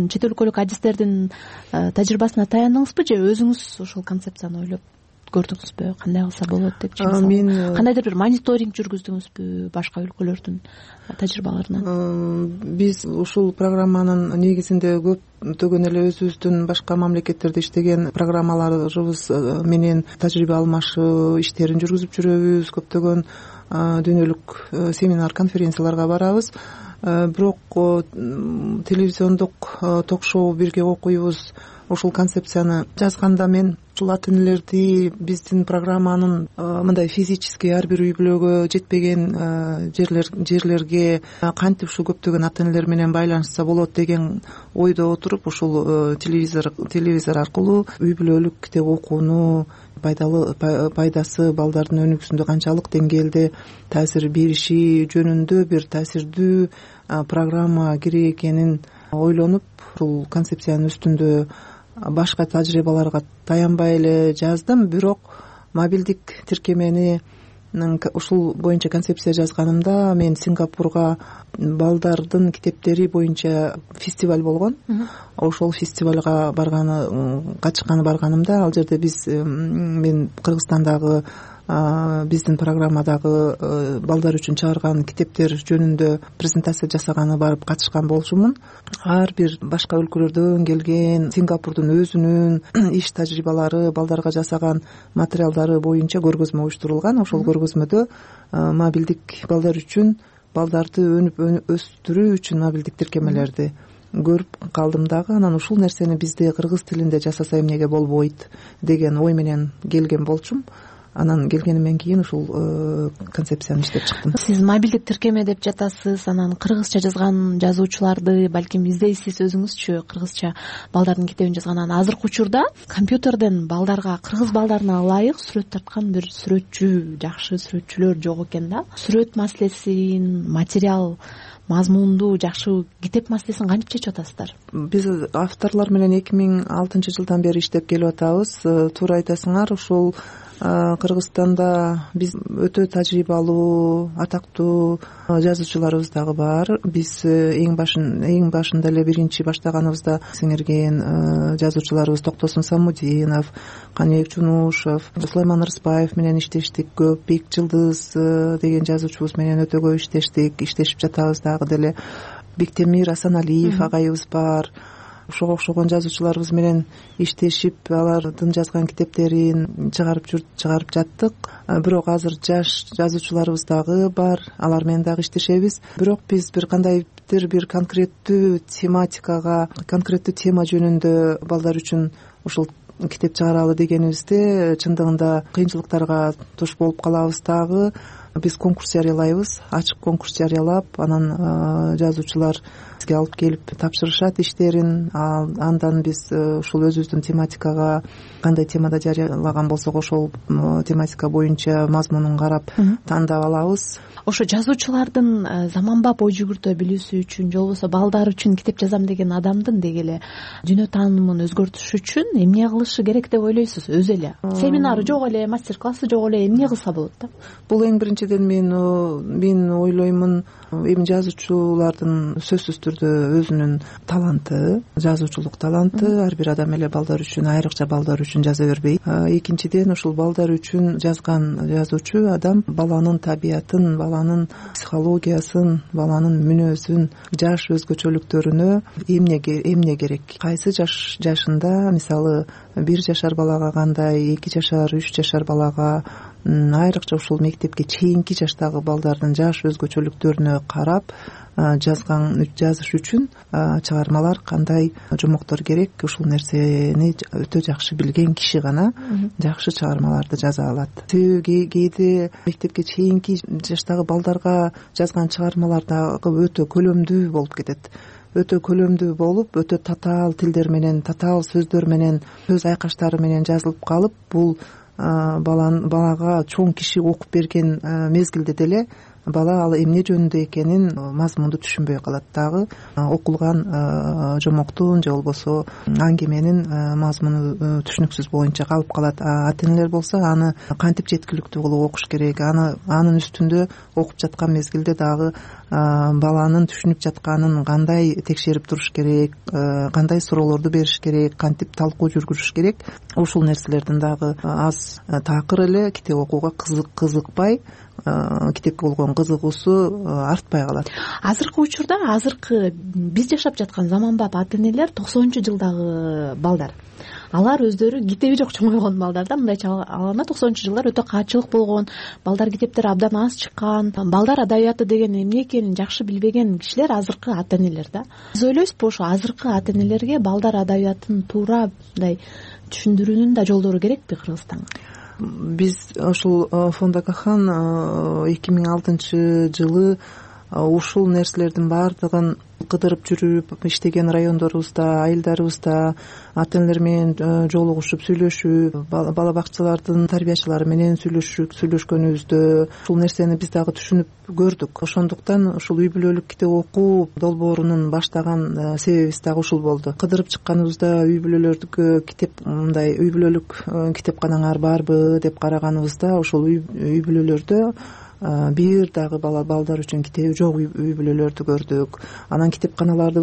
чет өлкөлүк адистердин тажрыйбасына таяндыңызбы же өзүңүз ушул концепцияны ойлоп көрдүңүзбү? Кандай кылса болот деп мен кандайдыр бир мониторинг жүргүздүңүзбү башка өлкөлөрдүн тажрыйбаларынан? Биз ушул программанын негизинде көптөгөн эле өзүбүздүн башка мамлекеттерде иштеген программаларыбыз менен тажрыйба алмашуу иштерин жүргүзүп жүрөбүз. Көптөгөн дүйнөлүк семинар, конференцияларга барабыз. Бирок телевизиондук ток-шоу «Бирге окуйбуз» ушул концепцияны жазганда мен ушул ата-энелерди биздин программанын мындай физически ар бир үй бүлөгө жетпеген жерлерге кантип ушул көптөгөн ата-энелер менен байланышса болот деген ойдо отуруп ушул телевизор аркылуу үй бүлөлүк китеп окууну пайдасы балдардын өнүгүүсүндө канчалык деңгээлде таасир бериши жөнүндө бир таасирдүү программа керек экенин ойлонуп ушул концепциянын үстүндө башка тажрыйбаларга таянбай эле жаздым. Бирок мобилдик тиркемени ушул боюнча концепция жазганымда мен Сингапурга балдардын китептери боюнча фестиваль болгон. Ошол фестивалга барганымда ал жерде мен Кыргызстандагы биздин программадагы балдар үчүн чыгарган китептер жөнүндө презентация жасаганы барып катышкан болчумун. Ар бир башка өлкөлөрдөн келген Сингапурдун өзүнүн иш тажрыйбалары, балдарга жасаган материалдары боюнча көргөзмө уюштурулган. Ошол көргөзмөдө мобилдик балдар үчүн балдарды өнүп өстүрүү үчүн мобилдик тиркемелерди көрүп калдым дагы. Анан ушул нерсени бизде кыргыз тилинде жасаса эмнеге болбойт деген ой менен келген болчумун. Анан келгенимден кийин ушул концепцияны иштеп чыктым. Сиз мобилдик тиркеме деп жатасыз, анан кыргызча жазган жазуучуларды балким издейсиз, өзүңүзчү кыргызча балдардын китебин жазган. Анан азыркы учурда компьютерден балдарга, кыргыз балдарына ылайык сүрөт тарткан бир сүрөтчү, жакшы сүрөтчүлөр жок экен да. Сүрөт маселесин, материал мазмунду жакшы китеп маселесин кантип чечип атасыздар? Биз авторлор менен 2006-жылдан бери иштеп келип атабыз. Туура айтасыңар, ушул Кыргызстанда биз өтө тажрыйбалуу, атактуу жазуучуларыбыз дагы бар. Биз эң башында эле биринчи баштаганыбызда сиңирген жазуучуларыбыз Токтосун Самудинов, Каныбек Жунушев, Сулайман Рыспаев менен иштештик көп. Бек Жылдыз деген жазуучубуз менен өтө көп иштешип жатабыз дагы деле. Бектемир Асаналиев агайыбыз бар. Ошого окшогон жазуучуларыбыз менен иштешип, алардын жазган китептерин чыгарып жаттык. Бирок азыр жаш жазуучуларыбыз дагы бар, алар менен дагы иштешебиз. Бирок биз бир кандайдыр бир конкреттүү тематикага, конкреттүү тема жөнүндө балдар үчүн ушул китеп чыгаралы дегенибизде чындыгында кыйынчылыктарга туш болуп калабыз дагы. Биз конкурс жарыялайбыз, ачык конкурс жарыялап, анан жазуучулар бизге алып келип тапшырышат иштерин. Андан биз ушул өзүбүздүн тематикага кандай темада жарыялаган болсок ошол тематика боюнча мазмунун карап тандап алабыз. Ошо жазуучулардын заманбап ой жүгүртө билүүсү үчүн же болбосо балдар үчүн китеп жазам деген адамдын деги эле дүйнө таанымын өзгөртүш үчүн эмне кылышы керек деп ойлойсуз? Өзү эле семинары жок эле, мастер классы жок эле, эмне кылса болот да? Бул эң биринчиден мен ойлоймун, эми жазуучулардын сөзсүз түрдө өзүнүн таланты, жазуучулук таланты, ар бир адам эле балдар үчүн, айрыкча балдар үчүн жаза бербейт. Экинчиден ушул балдар үчүн жазган жазуучу адам баланын табиятын, баланын психологиясын, баланын мүнөзүн, жаш өзгөчөлүктөрүнө эмне керек, кайсы жашында, мисалы 1 жашар балага кандай, 2 жашар, 3 жашар балага, айрыкча ушул мектепке чейинки жаштагы балдардын жаш өзгөчөлүктөрүнө карап жазыш үчүн чыгармалар кандай жомоктор керек, ушул нерсени өтө жакшы билген киши гана жакшы чыгармаларды жаза алат. Себеби кээде мектепке чейинки жаштагы балдарга жазган чыгармалар дагы өтө көлөмдүү болуп кетет. Өтө көлөмдүү болуп, өтө татаал тилдер менен, татаал сөздөр менен, сөз айкаштары менен жазылып калып, бул балага чоң киши окуп берген мезгилде деле бала ал эмне жөнүндө экенин мазмунду түшүнбөй калат дагы. Окулган жомоктун же болбосо аңгеменин мазмуну түшүнүксүз боюнча калып калат. Ата-энелер болсо аны кантип жеткиликтүү кылып окуш керек, анын үстүндө окуп жаткан мезгилде дагы баланын түшүнүп жатканын кандай текшерип туруш керек, кандай суроолорду бериш керек, кантип талкуу жүргүзүш керек. Ушул нерселердин дагы аз такыр эле китеп окууга кызыкпай, китепке болгон кызыгуусу артпай калат. Азыркы учурда, биз жашап жаткан заманбап ата-энелер 90-жылдагы балдар. Алар өздөрү китеби жок чоңойгон балдар да, мындайча алганда 90-жылдар өтө каатчылык болгон, балдар китептер абдан аз чыккан, балдар адабияты деген эмне экенин жакшы билбеген кишилер азыркы ата-энелер да. Биз ойлойсузбу, ошо азыркы ата-энелерге балдар адабиятын туура мындай түшүндүрүүнүн да жолдору керекпи Кыргызстанга? Биз ушул фонд Акахан 2006-жылы ушул нерселердин баардыгын кыдырып жүрүп иштеген райондорубузда, айылдарыбызда ата-энелер менен жолугушуп, сүйлөшүп, бала бакчалардын тарбиячылары менен сүйлөшкөнүбүздө ушул нерсени биз дагы түшүнүп көрдүк. Ошондуктан ушул үй бүлөлүк китеп окуу долбоорунун баштаган себебибиз дагы ушул болду. Кыдырып чыкканыбызда үй бүлөлөрдүкө үй бүлөлүк китепканаңар барбы деп караганыбызда ушул үй бүлөлөрдө бир дагы балдар үчүн китеби жок үй бүлөлөрдү көрдүк. Анан китепканаларды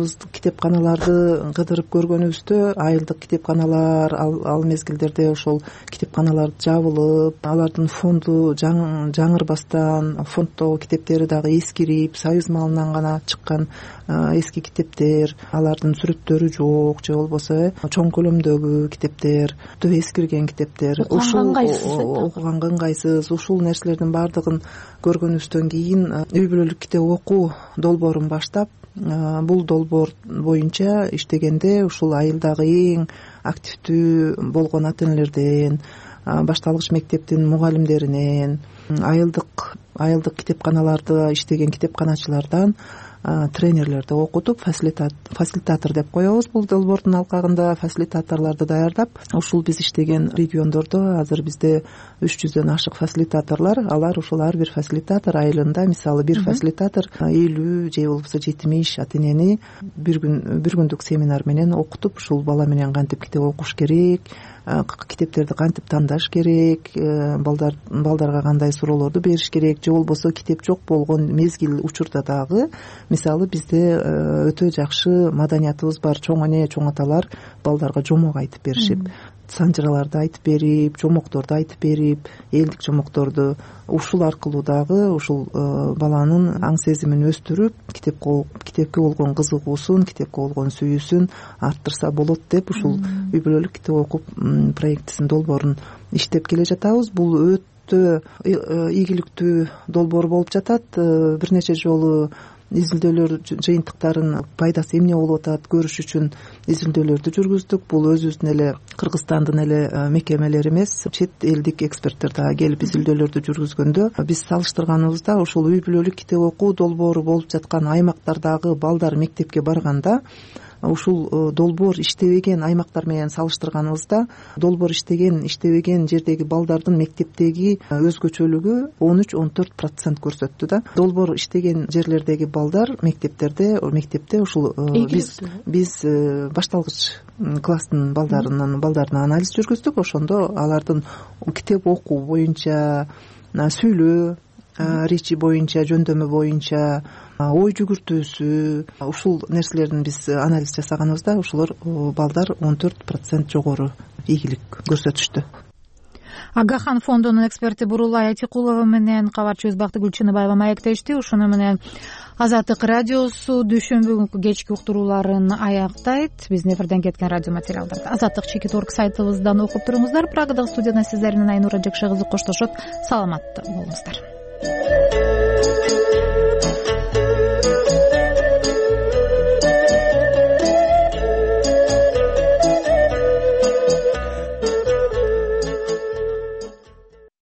кыдырып көргөнүбүздө айылдык китепканалар ал мезгилдерде ошол китепканалар жабылып, алардын фонду жаңырбастан, фонддогу китептери дагы эскирип, союз малынан гана чыккан эски китептер, алардын сүрөттөрү жок же болбосо чоң көлөмдөгү китептер, өтө эскирген китептер, окуганга ыңгайсыз. Ушул нерселердин баардыгын көргөнүбүздөн кийин үй бүлөлүк китеп окуу долбоорун баштап, бул долбоор боюнча иштегенде ушул айылдагы эң активдүү болгон ата энелерден, башталгыч мектептин мугалимдеринен, айылдык китепканаларда иштеген китепканачылардан тренерлерди окутуп, фасилитатор деп коебуз бул долбоордун алкагында. Фасилитаторлорду даярдап, ушул биз иштеген региондордо азыр бизде 300дөн ашык фасилитаторлор. Алар ушул ар бир фасилитатор айылында, мисалы бир фасилитатор 50 же болбосо 70 ата энени бир күндүк семинар менен окутуп, ушул бала менен кантип китеп окуш керек, китептерди кантип тандаш керек, балдарга кандай суроолорду бериш керек, же болбосо китеп жок болгон мезгил учурда дагы, мисалы бизде өтө жакшы маданиятыбыз бар. Чоң эне, чоң аталар балдарга жомок айтып беришип, санжыраларды айтып берип, жомокторду айтып берип, элдик жомокторду. Ушул аркылуу дагы ушул баланын аң сезимин өстүрүп, китепке болгон кызыгуусун, китепке болгон сүйүүсүн арттырса болот деп ушул үй бүлөлүк китеп окуп проектисин, долбоорун иштеп келе жатабыз. Бул өтө ийгиликтүү долбоор болуп жатат. Бир нече жолу изилдөөлөр жыйынтыктарын пайдасы эмне болуп атат көрүш үчүн изилдөөлөрдү жүргүздүк. Бул өзүбүздүн эле Кыргызстандын эле мекемелери эмес, чет элдик эксперттер дагы келип изилдөөлөрдү жүргүзгөндө биз салыштырганыбызда ушул үй бүлөлүк китеп окуу долбоору болуп жаткан аймактардагы балдар мектепке барганда, ушул долбоор иштебеген аймактар менен салыштырганыбызда, долбоор иштебеген жердеги балдардын мектептеги өзгөчөлүгү 13-14% көрсөттү да. Долбоор иштеген жерлердеги балдар мектепте ушул биз башталгыч класстын балдарына анализ жүргүздүк. Ошондо алардын китеп окуу боюнча, сүйлөө, речи боюнча, жөндөмө боюнча, ой жүгүртүүсү, ушул нерселердин биз анализ жасаганыбызда ушулар балдар 14% жогору ийгилик көрсөтүштү. Агахан фондунун эксперти Бурулай Айтикулова менен кабарчыбыз Бактыгүл Чыныбаева маектешти. Ушуну менен Азаттык радиосу дүйшөмбү күнкү кечки уктурууларын аяктайт. Биздин эфирден кеткен радио материалдарды Азаттык.org сайтыбыздан окуп туруңуздар. Прагадагы студияда сиздер менен Айнура Жакшы кызы коштошот. Саламатта болуңуздар.